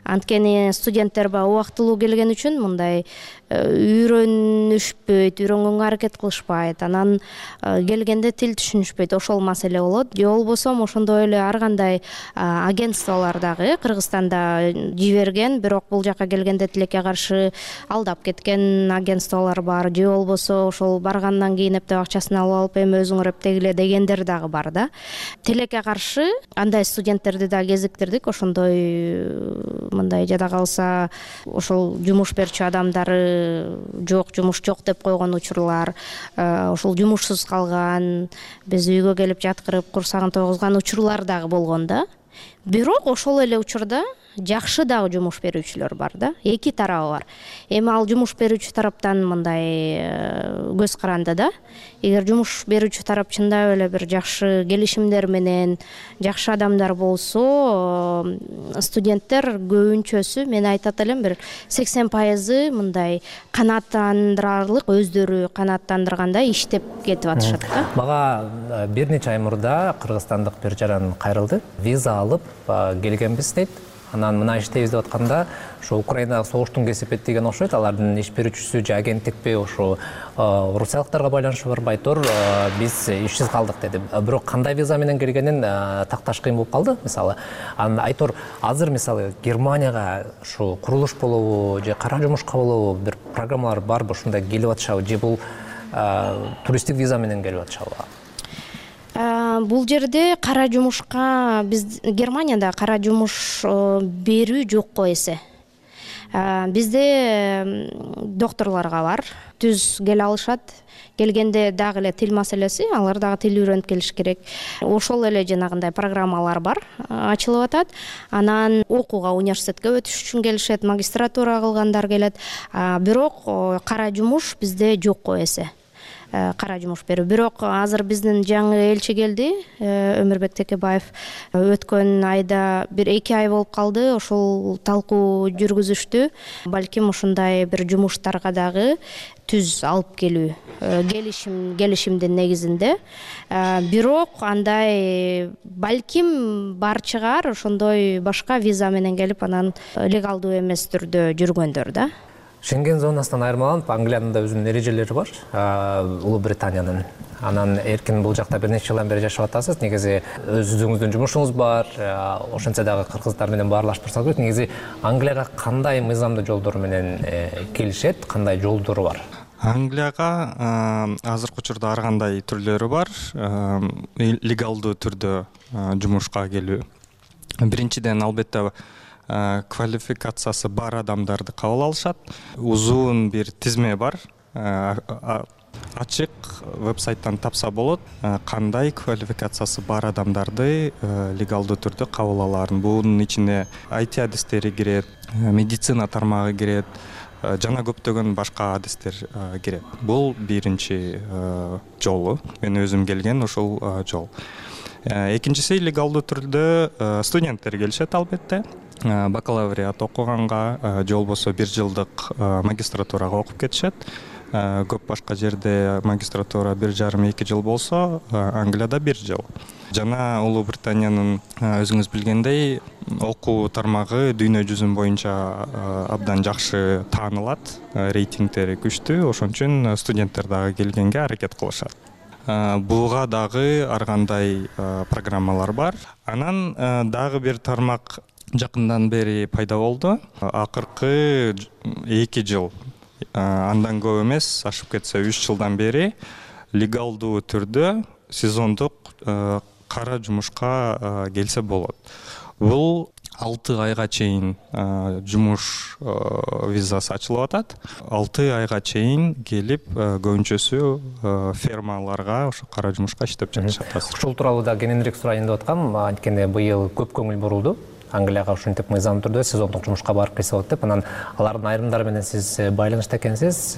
Анткени студенттер убактылуу келген үчүн мындай үйрөнүшпөйт, үйрөнгөнгө аракет кылышпайт, анан келгенде тил түшүнүшпөйт, ошол маселе болот. Же болбосо ошондой эле ар кандай агентстволор дагы Кыргызстанда жиберген, бирок бул жака келгенде тилекке каршы алдап кеткен агентстволор бар. Же болбосо ошол баргандан кийин эптеп акчасын алып эми өзүңөр эптегиле дегендер дагы бар да. Тилекке каршы андай студенттерди да кезиктирдик, ошондой мындай жада калса ошол жумуш берчү адамдары жок, жумуш жок деп койгон учурлар, ошол жумушсуз калган, биз үйгө келип жаткырып курсагын тойгузган учурлар дагы болгон да. Бирок ошол эле учурда жакшы дагы жумуш берүүчүлөр бар да. Эки тарабы бар. Эми ал жумуш берүүчү тараптан мындай көз каранды да. Эгер жумуш берүүчү тарап чындап эле бир жакшы келишимдер менен жакшы адамдар болсо, студенттер көбүнчөсү, мен айтат элем, бир 80% мындай канааттандырарлык, өздөрү канааттандыргандай иштеп кетип атышат да. Мага бир нече ай мурда кыргызстандык бир жаран кайрылды. Виза алып келгенбиз дейт. Анан мына иштейбиз деп атканда, ошо Украинадагы согуштун кесипет деген окшойт. Алардын иш берүүчүсү же агенттикпи, ошо орусиялыктарга байланышы бар, байтор биз ишсиз калдык деди. Бирок кандай виза менен келгенин такташ кыйын болуп калды. Мисалы, анан айтор азыр мисалы Германияга ушу курулуш болобу же кара жумушка болобу бир программалар барбы, ушундай келип атышабы же бул туристтик виза менен келип атышабы? Бул жерде кара жумушка, биз Германияда кара жумуш берүү жокко эсе. Бизде докторлорго бар, түз келе алышат. Келгенде дагы эле тил маселеси, алар дагы тил үйрөнүп келиш керек. Ошол эле жанагындай программалар бар, ачылып атат. Анан окууга, университетке өтүш үчүн келишет, магистратура кылгандар келет. Бирок кара жумуш бизде жокко эсе. Кара жумуш берүү. Бирок азыр биздин жаңы элчи келди, Өмүрбек Текебаев. Өткөн айда бир 2 ай болуп калды, ошол талкуу жүргүзүштү. Балким ушундай бир жумуштарга дагы түз алып келүү, келишимдин негизинде. Бирок андай балким бар чыгар, ошондой башка виза менен келип, анан легалдуу эмес түрдө жүргөндөр да. Шенген зонасынан айырмаланып, Англиянын да өзүнүн эрежелери бар, Улуу Британиянын. Анан эркин бул жакта бир нече жылдан бери жашап атасыз. Негизи өзүңүздүн жумушуңуз бар, ошентсе дагы кыргыздар менен баарлашып турсаңыз, негизи Англияга кандай мыйзамдуу жолдор менен келишет, кандай жолдору бар? Англияга азыркы учурда ар кандай түрлөрү бар. Легалдуу түрдө жумушка келүү. Биринчиден албетте квалификациясы бар адамдарды кабыл алышат. Узун бир тизме бар. Ачык вебсайттан тапса болот, кандай квалификациясы бар адамдарды легалдуу түрдө кабыл алаарын. Бунун ичине IT адистери кирет, медицина тармагы кирет, жана көптөгөн башка адистер кирет. Бул биринчи жолу. Мен өзүм келген ушул жол. Экинчиси легалдуу түрдө студенттер келишет албетте. Бакалавриат окуганга же болбосо 1 жылдык магистратурага окуп кетишет. Көп башка жерде магистратура 1,5-2 жыл болсо, Англияда 1 жыл. Жана Улуу Британиянын өзүңүз билгендей окуу тармагы дүйнө жүзүн боюнча абдан жакшы таанылат, рейтингдери күчтүү, ошон үчүн студенттер дагы келгенге аракет кылышат. Буга дагы ар кандай программалар бар. Анан дагы бир тармак жакындан бери пайда болду. Акыркы 2 жыл, андан көп эмес, ашып кетсе 3 жылдан бери легалдуу түрдө сезондук кара жумушка келсе болот. Бул 6 айга чейин жумуш визасы ачылып атат. 6 айга чейин келип көбүнчөсү фермаларга ошо кара жумушка иштеп жатышат. Ушул тууралуу да кененирээк сурайын деп аткам. Анткени быйыл көп көңүл бурулду Англияга ушинтип мыйзам түрдө сезондук жумушка барып келсе болот деп. Анан алардын айрымдары менен сиз байланышта экенсиз.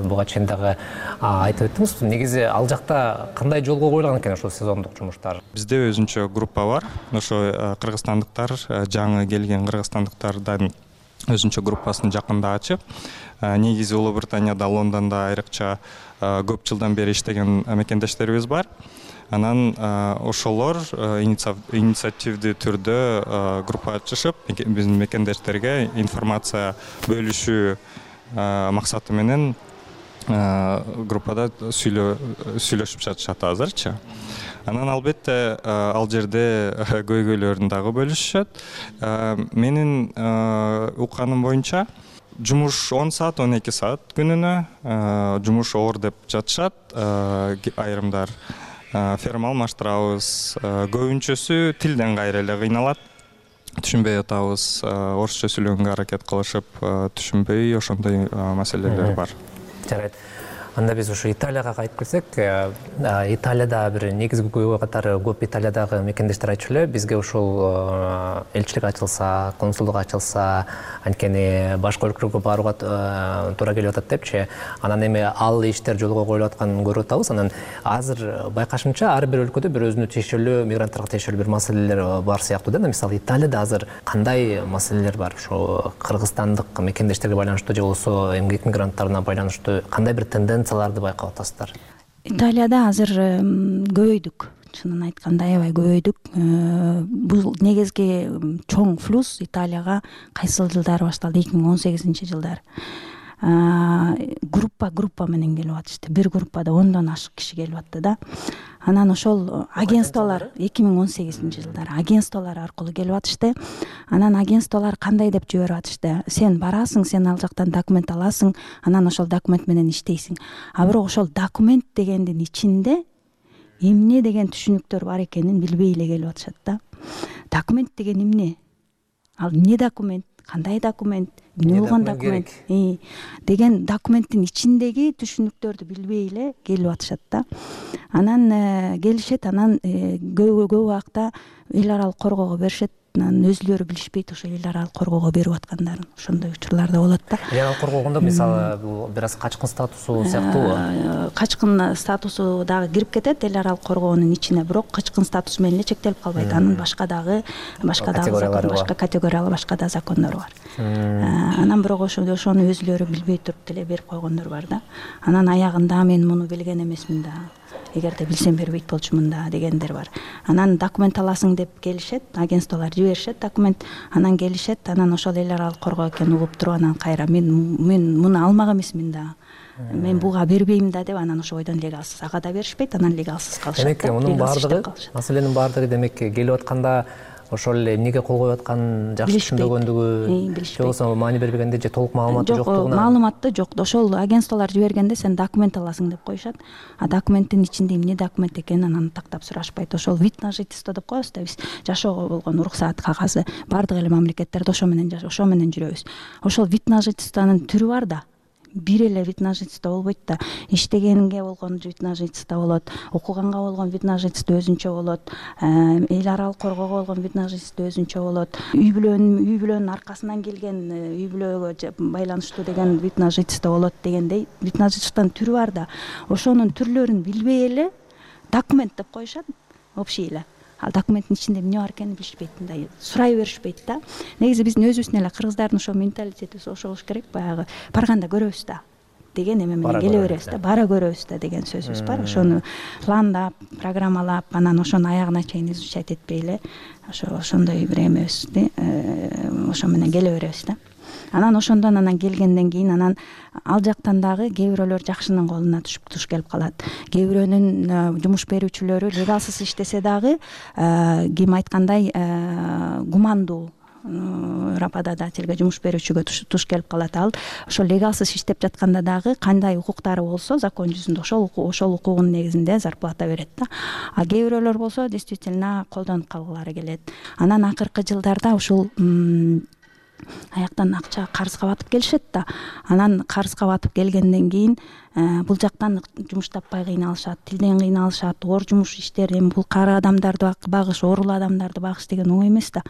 Буга чейин дагы айтып өттүңүз. Негизи ал жакта кандай жолго коюлган экен ошол сезондук жумуштар? Бизде өзүнчө группа бар. Ошо кыргызстандыктар, жаңы келген кыргызстандыктардан өзүнчө группасын жакында ачып, негизи Улуу Британияда, Лондондо айрыкча көп жылдан бери иштеген мекендештерибиз бар. Анан ошолор инициативдүү түрдө группа ачышып, биздин мекендештерге информация бөлүшүү максаты менен группада сүйлөшүп жатышат азырчы. Анан албетте ал жерде көйгөйлөрүн дагы бөлүшүшөт. Менин укканым боюнча жумуш 10 саат, 12 саат күнүнө жумуш оор деп жатышат айрымдар. Ферма алмаштырабыз. Көбүнчөсү тилден кайра эле кыйналат. Түшүнбөй атабыз. Орусча сүйлөгөнгө аракет кылышып, түшүнбөй ошондой маселелер бар. Жарайт. Анда биз ушу Италияга кайтып келсек, Италияда бир негизги көйгөй катары көп Италиядагы мекендештер айтчу эле, бизге ушул элчилик ачылса, консулдук ачылса, анткени башка өлкөлөргө барууга туура келип атат депчи. Анан эми ал иштер жолго коюлуп атканын көрүп атабыз. Анан азыр байкашымча ар бир өлкөдө бир өзүнө тиешелүү, мигранттарга тиешелүү бир маселелер бар сыяктуу да. Мисалы Италияда азыр кандай маселелер бар? Ошо кыргызстандык мекендештерге байланыштуу же болбосо эмгек мигранттарына байланыштуу кандай бир тенденцияларды байкап атасыздар? Италияда азыр көбөйдүк. Чынын айтканда аябай көбөйдүк. Бул негизги чоң флюс Италияга кайсыл жылдары башталды? 2018-жылдары. Группа менен келип атышты. Бир группада 10дон ашык киши келип атты да. Анан ошол агентстволор 2018-жылдары агентстволор аркылуу келип атышты. Анан агентстволор кандай деп жиберип атышты? Сен барасың, сен ал жактан документ аласың, анан ошол документ менен иштейсиң. А бирок ошол документ дегендин ичинде эмне деген түшүнүктөр бар экенин билбей эле келип атышат да. Документ деген эмне? Ал эмне документ? Кандай документ? Эмне болгон документ? Деген документтин ичиндеги түшүнүктөрдү билбей эле келип атышат да. Анан келишет, анан көп убакта эл аралык коргоого беришет. Анан өзүлөрү билишпейт ошо эл аралык коргоого берип аткандарын. Ошондой учурлар да болот да. Эл аралык коргоогондо мисалы бул бир аз качкын статусу сыяктуу. Качкын статусу дагы кирип кетет эл аралык коргоонун ичине, бирок качкын статусу менен эле чектелип калбайт. Анын башка дагы категориялары, башка да закондор бар. Анан бирок ошону өзүлөрү билбей туруп деле берип койгондор бар да. Анан аягында мен муну билген эмесмин да. Эгерде билсем бербейт болчумун да дегендер бар. Анан документ аласың деп келишет, агентстволор жиберишет документ, анан келишет, анан ошол эл аралык коргоо экенин угуп туруп, анан кайра мен муну алмак эмесмин да. Мен буга бербейм да деп, анан ошо бойдон легалсыз ага да беришпейт, анан легалсыз калышат. Демек, мунун баардыгы, маселенин баардыгы демек келип атканда ошол эле эмнеге кол коюп атканын жакшы түшүнбөгөндүгү же болбосо маани бербегенде же толук маалыматы жоктугуна? Маалыматы жок. Ошол агентстволор жибергенде сен документ аласың деп коюшат. А документтин ичинде эмне документ экенин анан тактап сурашпайт. Ошол вид на жительство деп коебуз да биз, жашоого болгон уруксаат кагазы. Бардык эле мамлекеттерде ошо менен жүрөбүз. Ошол вид на жительствонун түрү бар да. Бир эле вид на жительство болбойт да. Иштегенге болгон вид на жительство болот, окуганга болгон вид на жительство өзүнчө болот, эл аралык коргоого болгон вид на жительство өзүнчө болот. Үй бүлөнүн аркасынан келген, үй бүлөгө байланыштуу деген вид на жительство болот дегендей вид на жительствонун түрү бар да. Ошонун түрлөрүн билбей эле документ деп коюшат, общий эле. Ал документтин ичинде эмне бар экенин билишпейт, мындай сурай беришпейт да. Негизи биздин өзүбүздүн эле кыргыздардын ошо менталитети ошол болуш керек, баягы барганда көрөбүз да деген эме менен келе беребиз да, бара көрөбүз да деген сөзүбүз бар. Ошону пландап, программалап, анан ошону аягына чейин изучать этпей эле ошондой бир эмебиз, ошо менен келе беребиз да. Анан ошондон келгенден кийин анан ал жактан дагы кээ бирөөлөр жакшынын колуна туш келип калат. Кээ бирөөнүн жумуш берүүчүлөрү легалсыз иштесе дагы ким айткандай гумандуу работодательге, жумуш берүүчүгө туш келип калат. Ал ошол легалсыз иштеп жатканда дагы кандай укуктары болсо закон жүзүндө ошол укугунун негизинде зарплата берет да. А кээ бирөөлөр болсо действительно колдонуп калгылары келет. Анан акыркы жылдарда ушул аяктан акча карызга батып келишет да. Анан карызга батып келгенден кийин бул жактан жумуш таппай кыйналышат, тилден кыйналышат, оор жумуш иштер, эми бул кары адамдарды багыш, оорулуу адамдарды багыш деген оңой эмес да.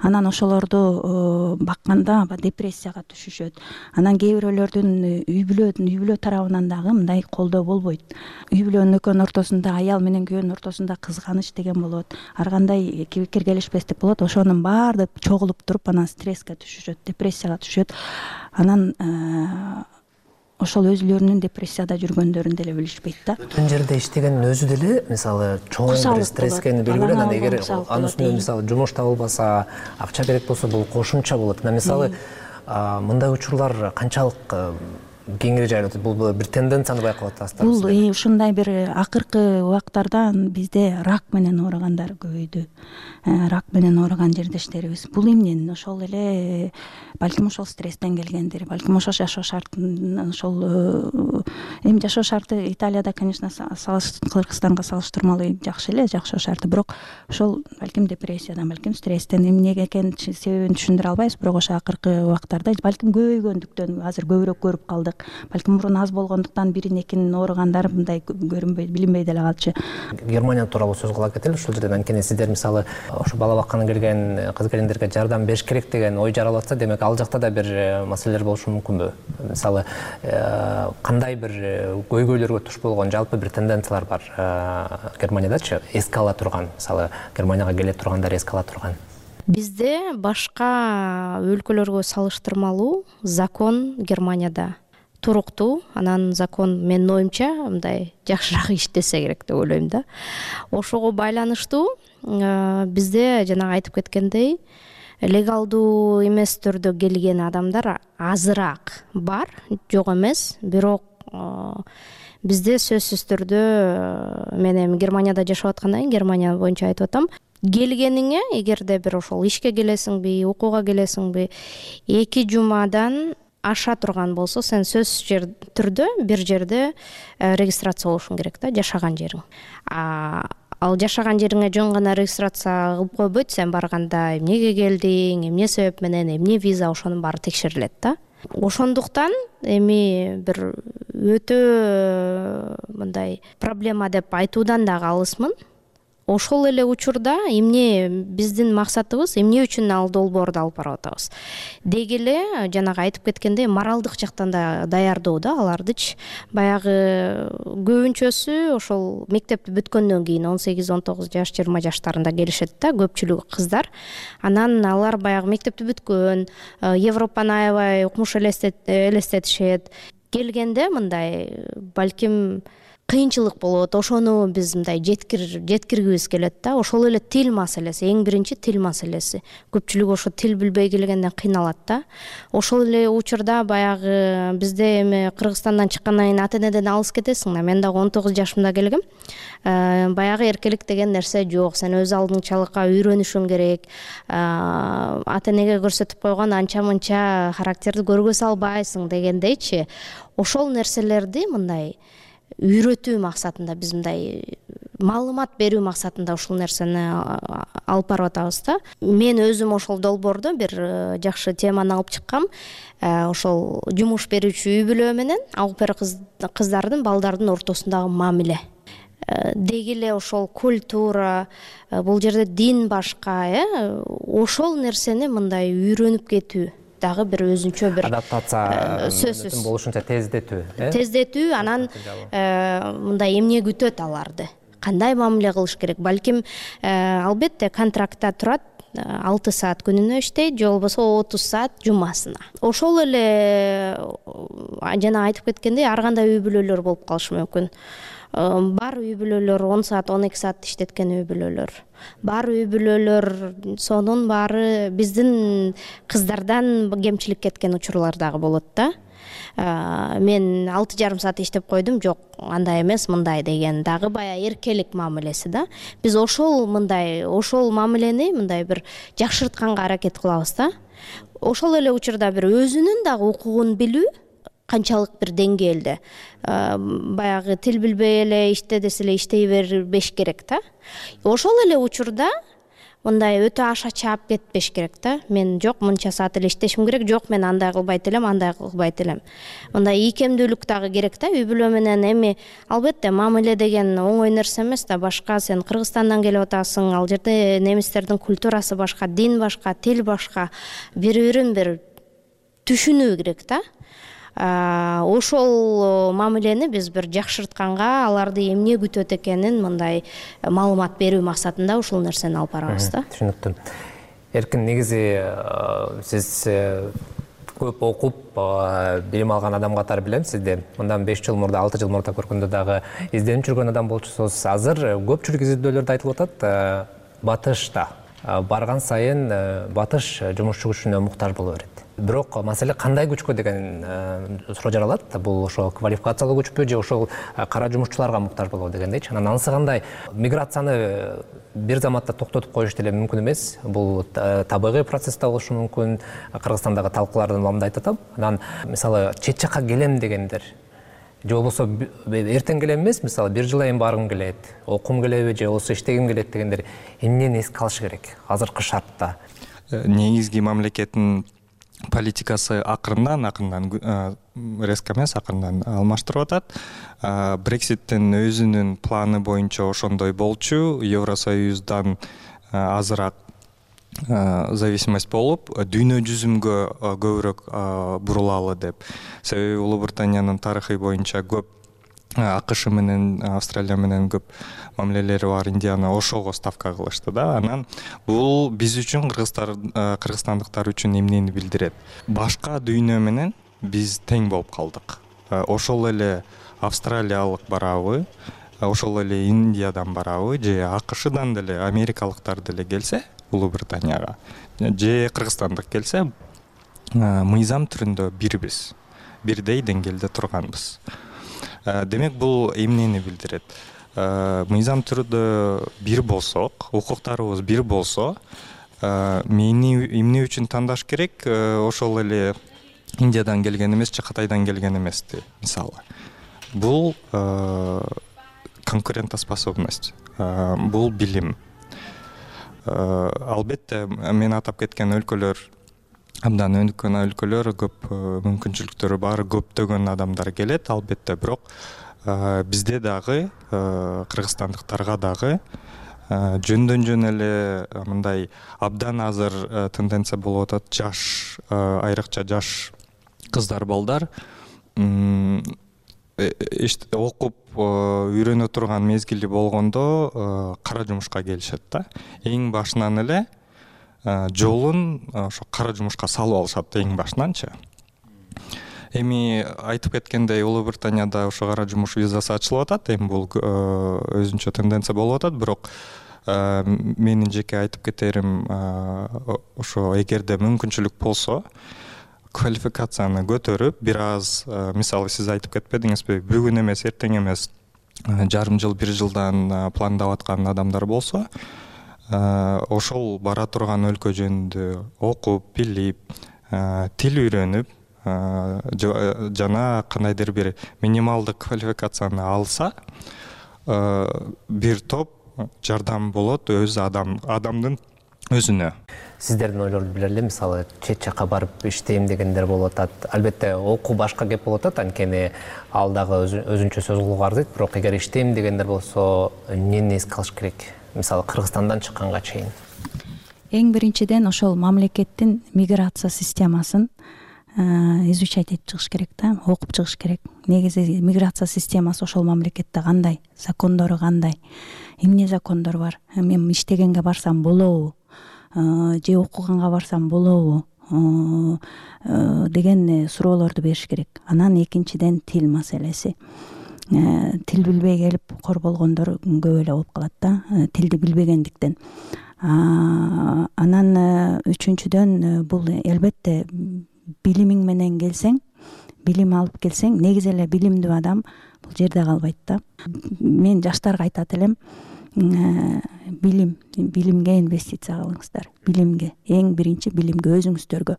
Анан ошолорду бакканда депрессияга түшүшөт. Анан кээ бирөөлөрдүн үй бүлө тарабынан дагы мындай колдоо болбойт. Үй бүлөнүн экөөнүн ортосунда, аял менен күйөөнүн ортосунда кызганыч деген болот. Ар кандай киргелешпестик болот. Ошонун баары чогулуп туруп анан стресске түшүшөт, депрессияга түшөт. Анан ошол өзүлөрүнүн депрессияда жүргөндөрүн деле билишпейт да. Бүтүн жерде иштегендин өзү деле мисалы чоң бир стресске белгилүү. Анан эгер анын үстүнө мисалы жумуш табылбаса, акча керек болсо бул кошумча болот. Мисалы мындай учурлар канчалык кеңири жайылат? Бул бир тенденцияны байкап атасызбы? Бул ушундай бир акыркы убактарда бизде рак менен ооругандар көбөйдү. Рак менен ооруган жердештерибиз. Бул эмнен? Ошол эле балким ошол стресстен келгендир. Балким ошол жашоо шартын, ошол эми жашоо шарты Италияда, конечно, Кыргызстанга салыштырмалуу жакшы эле жашоо шарты, бирок ошол балким депрессиядан, балким стресстен эмнеге экенин себебин түшүндүрө албайбыз, бирок ошо акыркы убактарда балким көбөйгөндүктөн азыр көбүрөөк көрүп калдык. Балким мурун аз болгондуктан бирин экинин ооругандар мындай көрүнбөй, билинбей деле калчу. Германия тууралуу сөз кыла кетели ушул жерден. Анткени сиздер мисалы ошо бала бакканы келген кыз келиндерге жардам бериш керек деген ой жаралып атса, демек ал жакта да бир маселелер болушу мүмкүнбү? Мисалы кандай бир көйгөйлөргө туш болгон жалпы бир тенденциялар бар Германиядачы? Эске ала турган, мисалы Германияга келе тургандар эске ала турган. Бизде башка өлкөлөргө салыштырмалуу закон Германияда туруктуу. Анан закон менин оюмча мындай жакшыраак иштесе керек деп ойлойм да. Ошого байланыштуу бизде жанагы айтып кеткендей легалдуу эмес түрдө келген адамдар азыраак бар, жок эмес. Бирок бизде сөзсүз түрдө мен эми Германияда жашап аткандан кийин Германия боюнча айтып атам. Келгениңе, эгерде бир ошол ишке келесиңби, окууга келесиңби, 2 жумадан аша турган болсо, сен сөзсүз түрдө бир жерде регистрация болушуң керек да, жашаган жериң. Ал жашаган жериңе жөн гана регистрация кылып койбойт, сен барганда эмнеге келдиң, эмне себеп менен, эмне виза, ошонун баары текшерилет да. Ошондуктан эми бир өтө мындай проблема деп айтуудан дагы алысмын. Ошол эле учурда эмне биздин максатыбыз, эмне үчүн ал долбоорду алып барып атабыз? Деги эле жанагы айтып кеткендей моралдык жактан да даярдоо да алардычы. Баягы көбүнчөсү ошол мектепти бүткөндөн кийин 18-19 жаш, 20 жаштарында келишет да, көпчүлүгү кыздар. Анан алар баягы мектепти бүткөн, Европаны аябай укмуш элестетишет. Келгенде мындай балким кыйынчылык болот, ошону биз мындай жеткиргибиз келет да. Ошол эле тил маселеси, эң биринчи тил маселеси. Көпчүлүк ошо тил билбей келгенден кыйналат да. Ошол эле учурда баягы бизде эми Кыргызстандан чыккандан кийин ата энеден алыс кетесиң да. Мен дагы 19 жашымда келгем. Баягы эркелик деген нерсе жок. Сен өз алдыңчалыкка үйрөнүшүң керек. Ата энеге көрсөтүп койгон анча мынча характерди көргөзө албайсың дегендейчи. Ошол нерселерди мындай үйрөтүү максатында, биз мындай маалымат берүү максатында ушул нерсени алып барып атабыз да. Мен өзүм ошол долбоордо бир жакшы теманы алып чыккам. Ошол жумуш берүүчү үй бүлө менен алып кыздардын, балдардын ортосундагы мамиле. Деги эле ошол культура, бул жерде дин башка, ошол нерсени мындай үйрөнүп кетүү дагы бир өзүнчө бир адаптация сөзсүз болушунча тездетүү, анан мындай эмне күтөт аларды, кандай мамиле кылыш керек. Балким албетте контрактта турат 6 саат күнүнө иштейт, же болбосо 30 саат жумасына. Ошол эле жана айтып кеткендей ар кандай үй бүлөлөр болуп калышы мүмкүн. Бар үй бүлөлөр 10 саат 12 саат иштеткен үй бүлөлөр, бар үй бүлөлөр сонун баары биздин кыздардан кемчилик кеткен учурлар дагы болот да. Мен 6,5 саат иштеп койдум, жок андай эмес мындай деген дагы баягы эркелик мамилеси да. Биз ошол мамилени мындай бир жакшыртканга аракет кылабыз да. Ошол эле учурда бир өзүнүн дагы укугун билүү канчалык бир деңгээлде. Баягы тил билбей эле иште десе эле иштей бербеш керек да. Ошол эле учурда мындай өтө аша чаап кетпеш керек да. Мен жок мынча саат эле иштешим керек, жок мен андай кылбайт элем, андай кылбайт элем. Мындай ийкемдүүлүк дагы керек да. Үй бүлө менен эми албетте мамиле деген оңой нерсе эмес да. Башка сен Кыргызстандан келип атасың, ал жерде немистердин культурасы башка, дин башка, тил башка. Бири-бирин бир түшүнүү керек да. Ошол мамилени биз бир жакшыртканга, аларды эмне күтөт экенин мындай маалымат берүү максатында ушул нерсени алып барабыз да. Түшүнүктүү. Эркин, негизи сиз көп окуп, билим алган адам катары билем сизди. Мындан 5 жыл мурда, 6 жыл мурда көргөндө дагы изденип жүргөн адам болчусуз. Азыр көпчүлүк изилдөөлөрдө айтылып атат, батышта барган сайын батыш жумушчу күчүнө муктаж боло берет. Бирок маселе кандай күчкө деген суроо жаралат. Бул ошо квалификациялуу күчпү же ошол кара жумушчуларга муктаж болобу дегендейчи. Анан анысы кандай? Миграцияны бир заматта токтотуп коюш деле мүмкүн эмес. Бул табигый процесс да болушу мүмкүн. Кыргызстандагы талкуулардын маалында айтып атам. Анан мисалы чет жакка келем дегендер же болбосо эртең келем эмес, мисалы бир жыл айын баргым келет, окугум келеби же болбосо иштегим келет дегендер эмнени эске алышы керек азыркы шартта? Негизги мамлекеттин политикасы акырындан резко эмес, акырындан алмаштырып атат. Брекситтин өзүнүн планы боюнча ошондой болчу. Евросоюздан азыраак зависимость болуп, дүйнө жүзүмгө көбүрөөк бурулалы деп. Себеби Улуу Британиянын тарыхы боюнча көп АКШ менен, Австралия менен көп мамилелери бар Индияны ошого ставка кылышты да. Анан бул биз үчүн, кыргызстандыктар үчүн эмнени билдирет? Башка дүйнө менен биз тең болуп калдык. Ошол эле австралиялык барабы, ошол эле Индиядан барабы, же АКШдан деле, америкалыктар деле келсе Улуу Британияга, же кыргызстандык келсе, мыйзам түрүндө бирбиз, бирдей деңгээлде турганбыз. Демек бул эмнени билдирет? Мыйзам түрүндө бир болсок, укуктарыбыз бир болсо, эмне үчүн тандаш керек? Ошол эле Индиядан келген эмес же Кытайдан келген эмести, мисалы. Бул конкурентоспособность, бул билим. Албетте мен атап кеткен өлкөлөр, абдан өнүккөн өлкөлөр, көп мүмкүнчүлүктөрү бар, көптөгөн адамдар келет, албетте. Бирок бизде дагы, кыргызстандыктарга дагы жөндөн жөн эле мындай абдан азыр тенденция болуп атат. Жаш, айрыкча жаш кыздар, балдар окуп үйрөнө турган мезгили болгондо кара жумушка келишет да. Эң башынан эле жолун ошо кара жумушка салып алышат, эң башынанчы. Эми айтып кеткендей Улуу Британияда ошо кара жумуш визасы ачылып атат. Эми бул өзүнчө тенденция болуп атат, бирок менин жеке айтып кетерим, ошо эгерде мүмкүнчүлүк болсо квалификацияны көтөрүп, бир аз, мисалы сиз айтып кетпедиңизби, бүгүн эмес, эртең эмес, жарым жыл, бир жылдан пландап аткан адамдар болсо, ошол бара турган өлкө жөнүндө окуп, билип, тил үйрөнүп, жана кандайдыр бир минималдык квалификацияны алса, бир топ жардам болот адамдын өзүнө. Сиздердин ойлорду биле эле, мисалы чет жакка барып иштейм дегендер болуп атат. Албетте окуу башка кеп болуп атат, анткени ал дагы өзүнчө сөз кылууга арзыйт, бирок эгер иштейм дегендер болсо эмнени эске алыш керек? Мисалы Кыргызстандан чыкканга чейин. Эң биринчиден ошол мамлекеттин миграция системасын изучать этип чыгыш керек да, окуп чыгыш керек. Негизи миграция системасы ошол мамлекетте кандай, закондору кандай, эмне закондор бар, мен иштегенге барсам болобу, же окуганга барсам болобу деген суроолорду бериш керек. Анан экинчиден тил маселеси. Тил билбей келип кор болгондор көп эле болуп калат да, тилди билбегендиктен. Анан үчүнчүдөн бул албетте билимиң менен келсең, билим алып келсең, негизи эле билимдүү адам бул жерде калбайт да. Мен жаштарга айтат элем, билимге инвестиция кылыңыздар. Билимге, эң биринчи билимге, өзүңүздөргө.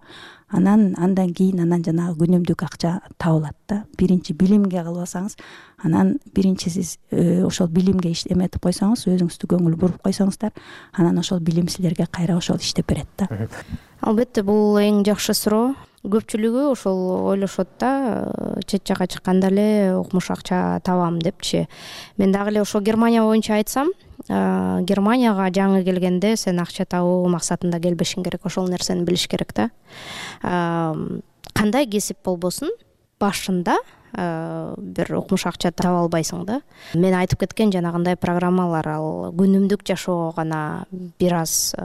Андан кийин жанагы күнүмдүк акча табылат да. Биринчи билимге кылбасаңыз, анан биринчи сиз ошол билимге эметип койсоңуз, өзүңүздү көңүл буруп койсоңуздар, анан ошол билим силерге кайра ошол иштеп берет да. Албетте бул эң жакшы суроо. Көпчүлүгү ошол ойлошот да, чет жакка чыкканда эле укмуш акча табам депчи. Мен дагы эле ошо Германия боюнча айтсам, Германияга жаңы келгенде сен акча табуу максатында келбешиң керек, ошол нерсени билиш керек да. Кандай кесип болбосун, башында бир укмуш акча таба албайсың да. Мен айтып кеткен жанагындай программалар, ал күнүмдүк жашоого гана бир аз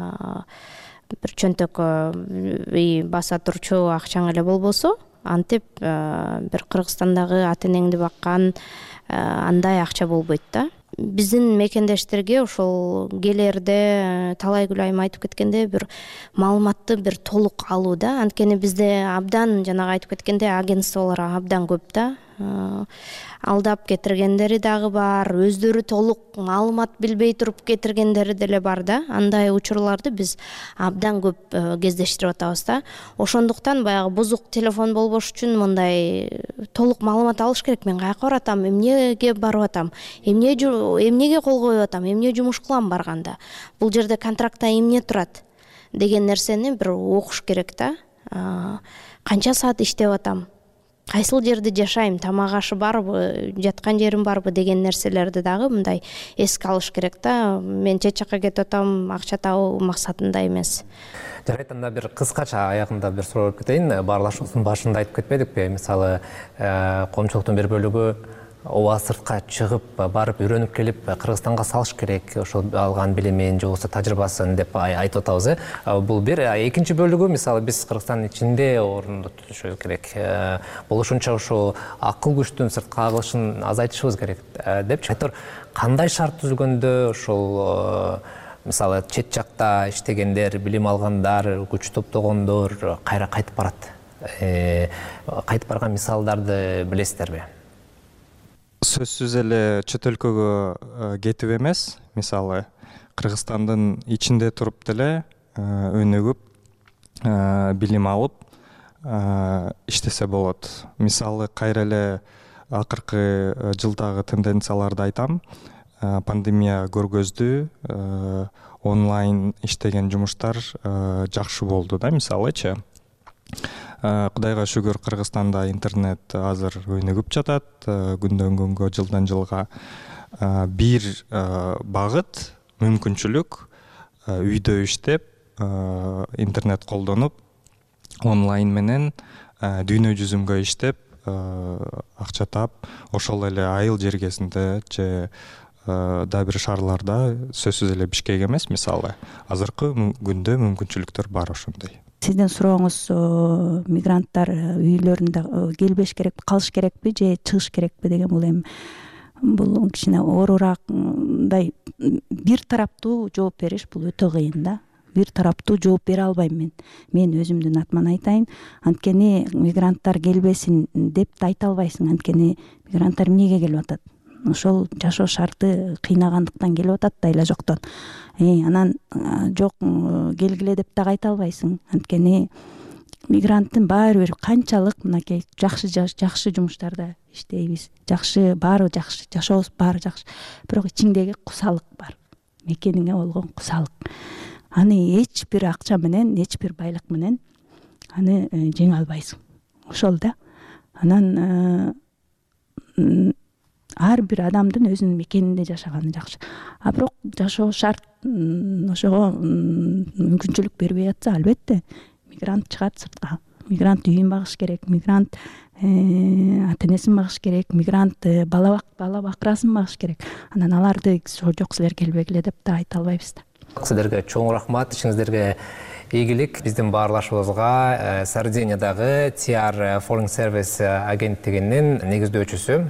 бир чөнтөк баса турчу акчаң эле болбосо, антип бир Кыргызстандагы ата энеңди баккан андай акча болбойт да. Биздин мекендештерге ошол келерде талай күлайым айтып кеткенде бир маалыматты бир толук алуу да. Анткени бизде абдан жанагы айтып кеткенде агентстволор абдан көп да. Алдап кетиргендери дагы бар, өздөрү толук маалымат билбей туруп кетиргендери деле бар да. Андай учурларды биз абдан көп кездештирип атабыз да. Ошондуктан баягы бузук телефон болбош үчүн мындай толук маалымат алыш керек. Мен каяка баратам, эмнеге барып атам, эмнеге кол коюп атам, эмне жумуш кылам барганда, бул жерде контрактта эмне турат деген нерсени бир окуш керек да. Канча саат иштеп атам, кайсыл жерде жашайм, тамак ашы барбы, жаткан жерим барбы деген нерселерди дагы мындай эске алыш керек да. Мен чет жакка кетип атам акча табуу максатында эмес. Жарайт, анда бир кыскача аягында бир суроо берип кетейин. Баарлашуубуздун башында айтып кетпедикпи? Мисалы, коомчулуктун бир бөлүгү ооба сыртка чыгып барып үйрөнүп келип Кыргызстанга салыш керек ошол алган билимин же болбосо тажрыйбасын деп айтып атабыз. Бул бир. Экинчи бөлүгү, мисалы биз Кыргызстандын ичинде орунду tutушу керек. Болушунча ошол акыл күчтүн сыртка агылышын азайтышыбыз керек депчи. Кандай шарт түзүлгөндө ошол мисалы чет жакта иштегендер, билим алгандар, күч топтогондор кайра кайтып барат? Кайтып барган мисалдарды билесиздерби? Сөзсүз эле чет өлкөгө кетип эмес, мисалы Кыргызстандын ичинде туруп деле өнүгүп, билим алып иштесе болот. Мисалы кайра эле акыркы жылдагы тенденцияларды айтам. Пандемия көргөздү, онлайн иштеген жумуштар жакшы болду да, мисалычы. Кудайга шүгүр, Кыргызстанда интернет азыр өнүгүп жатат. Күндөн күнгө, жылдан жылга бир багыт, мүмкүнчүлүк үйдө иштеп, интернет колдонуп, онлайн менен дүйнө жүзүнгө иштеп, акча таап, ошол эле айыл жергесинде же да бир шаарларда, сөзсүз эле Бишкек эмес, мисалы азыркы күндө мүмкүнчүлүктөр бар ошондой. сиздин сурооңуз мигранттар үйлөрүндө келбеш керекпи, калыш керекпи же чыгыш керекпи деген бул кичине оорураак мындай бир тараптуу жооп бериш бул өтө кыйын да. Бир тараптуу жооп бере албайм мен өзүмдүн атыман айтайын. Анткени мигранттар келбесин деп да айта албайсың. Анткени мигранттар эмнеге келип атат? Ошол жашоо шарты кыйнагандыктан келип атат да эле жоктон. Анан жок келгиле деп дагы айта албайсың. Анткени мигранттын баары бир канчалык мынакей жакшы жумуштарда иштейбиз. Жакшы, баары жакшы, жашообуз баары жакшы. Бирок ичиңдеги кусалык бар. Мекениңе болгон кусалык. Аны эч бир акча менен, эч бир байлык менен аны жеңе албайсың. Ошол да. Анан ар бир адамдын өзүнүн мекенинде жашаганы жакшы. Бирок жашоо шарт ошого мүмкүнчүлүк бербей атса, албетте мигрант чыгат сыртка. Мигрант үйүн багыш керек, мигрант ата-энесин багыш керек, мигрант бала бакырасын багыш керек. Анан аларды жок силер келбегиле деп да айта албайбыз да. Сиздерге чоң рахмат, ишиңиздерге ийгилик. Биздин баарлашуубузга Сардиниядагы TR Foreign Service агенттигинин негиздөөчүсү,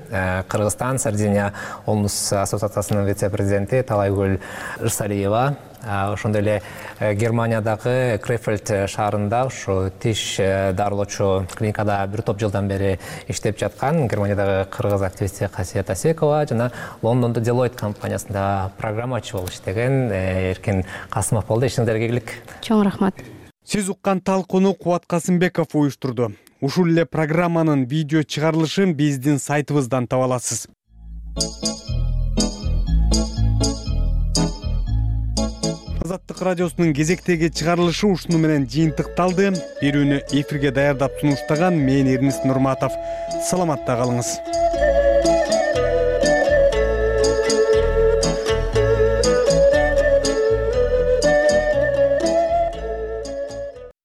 Кыргызстан Сардиния Олнус ассоциациясынын вице-президенти Талайгүл Ырсалиева, ошондой эле Германиядагы Крефельд шаарында ушу тиш дарылоочу клиникада бир топ жылдан бери иштеп жаткан Германиядагы кыргыз активисти Касият Асекова жана Лондондо Deloitte компаниясында программачы болуп иштеген Эркин Касымов болду. Ишиңиздерге ийгилик. Чоң рахмат. Сиз уккан талкууну Кубат Касымбеков уюштурду. Ушул эле программанын видео чыгарылышын биздин сайтыбыздан таба аласыз. Азаттык радиосунун кезектеги чыгарылышы ушуну менен жыйынтыкталды. Берүүнү эфирге даярдап сунуштаган мен Эрнис Нурматов. Саламатта калыңыз.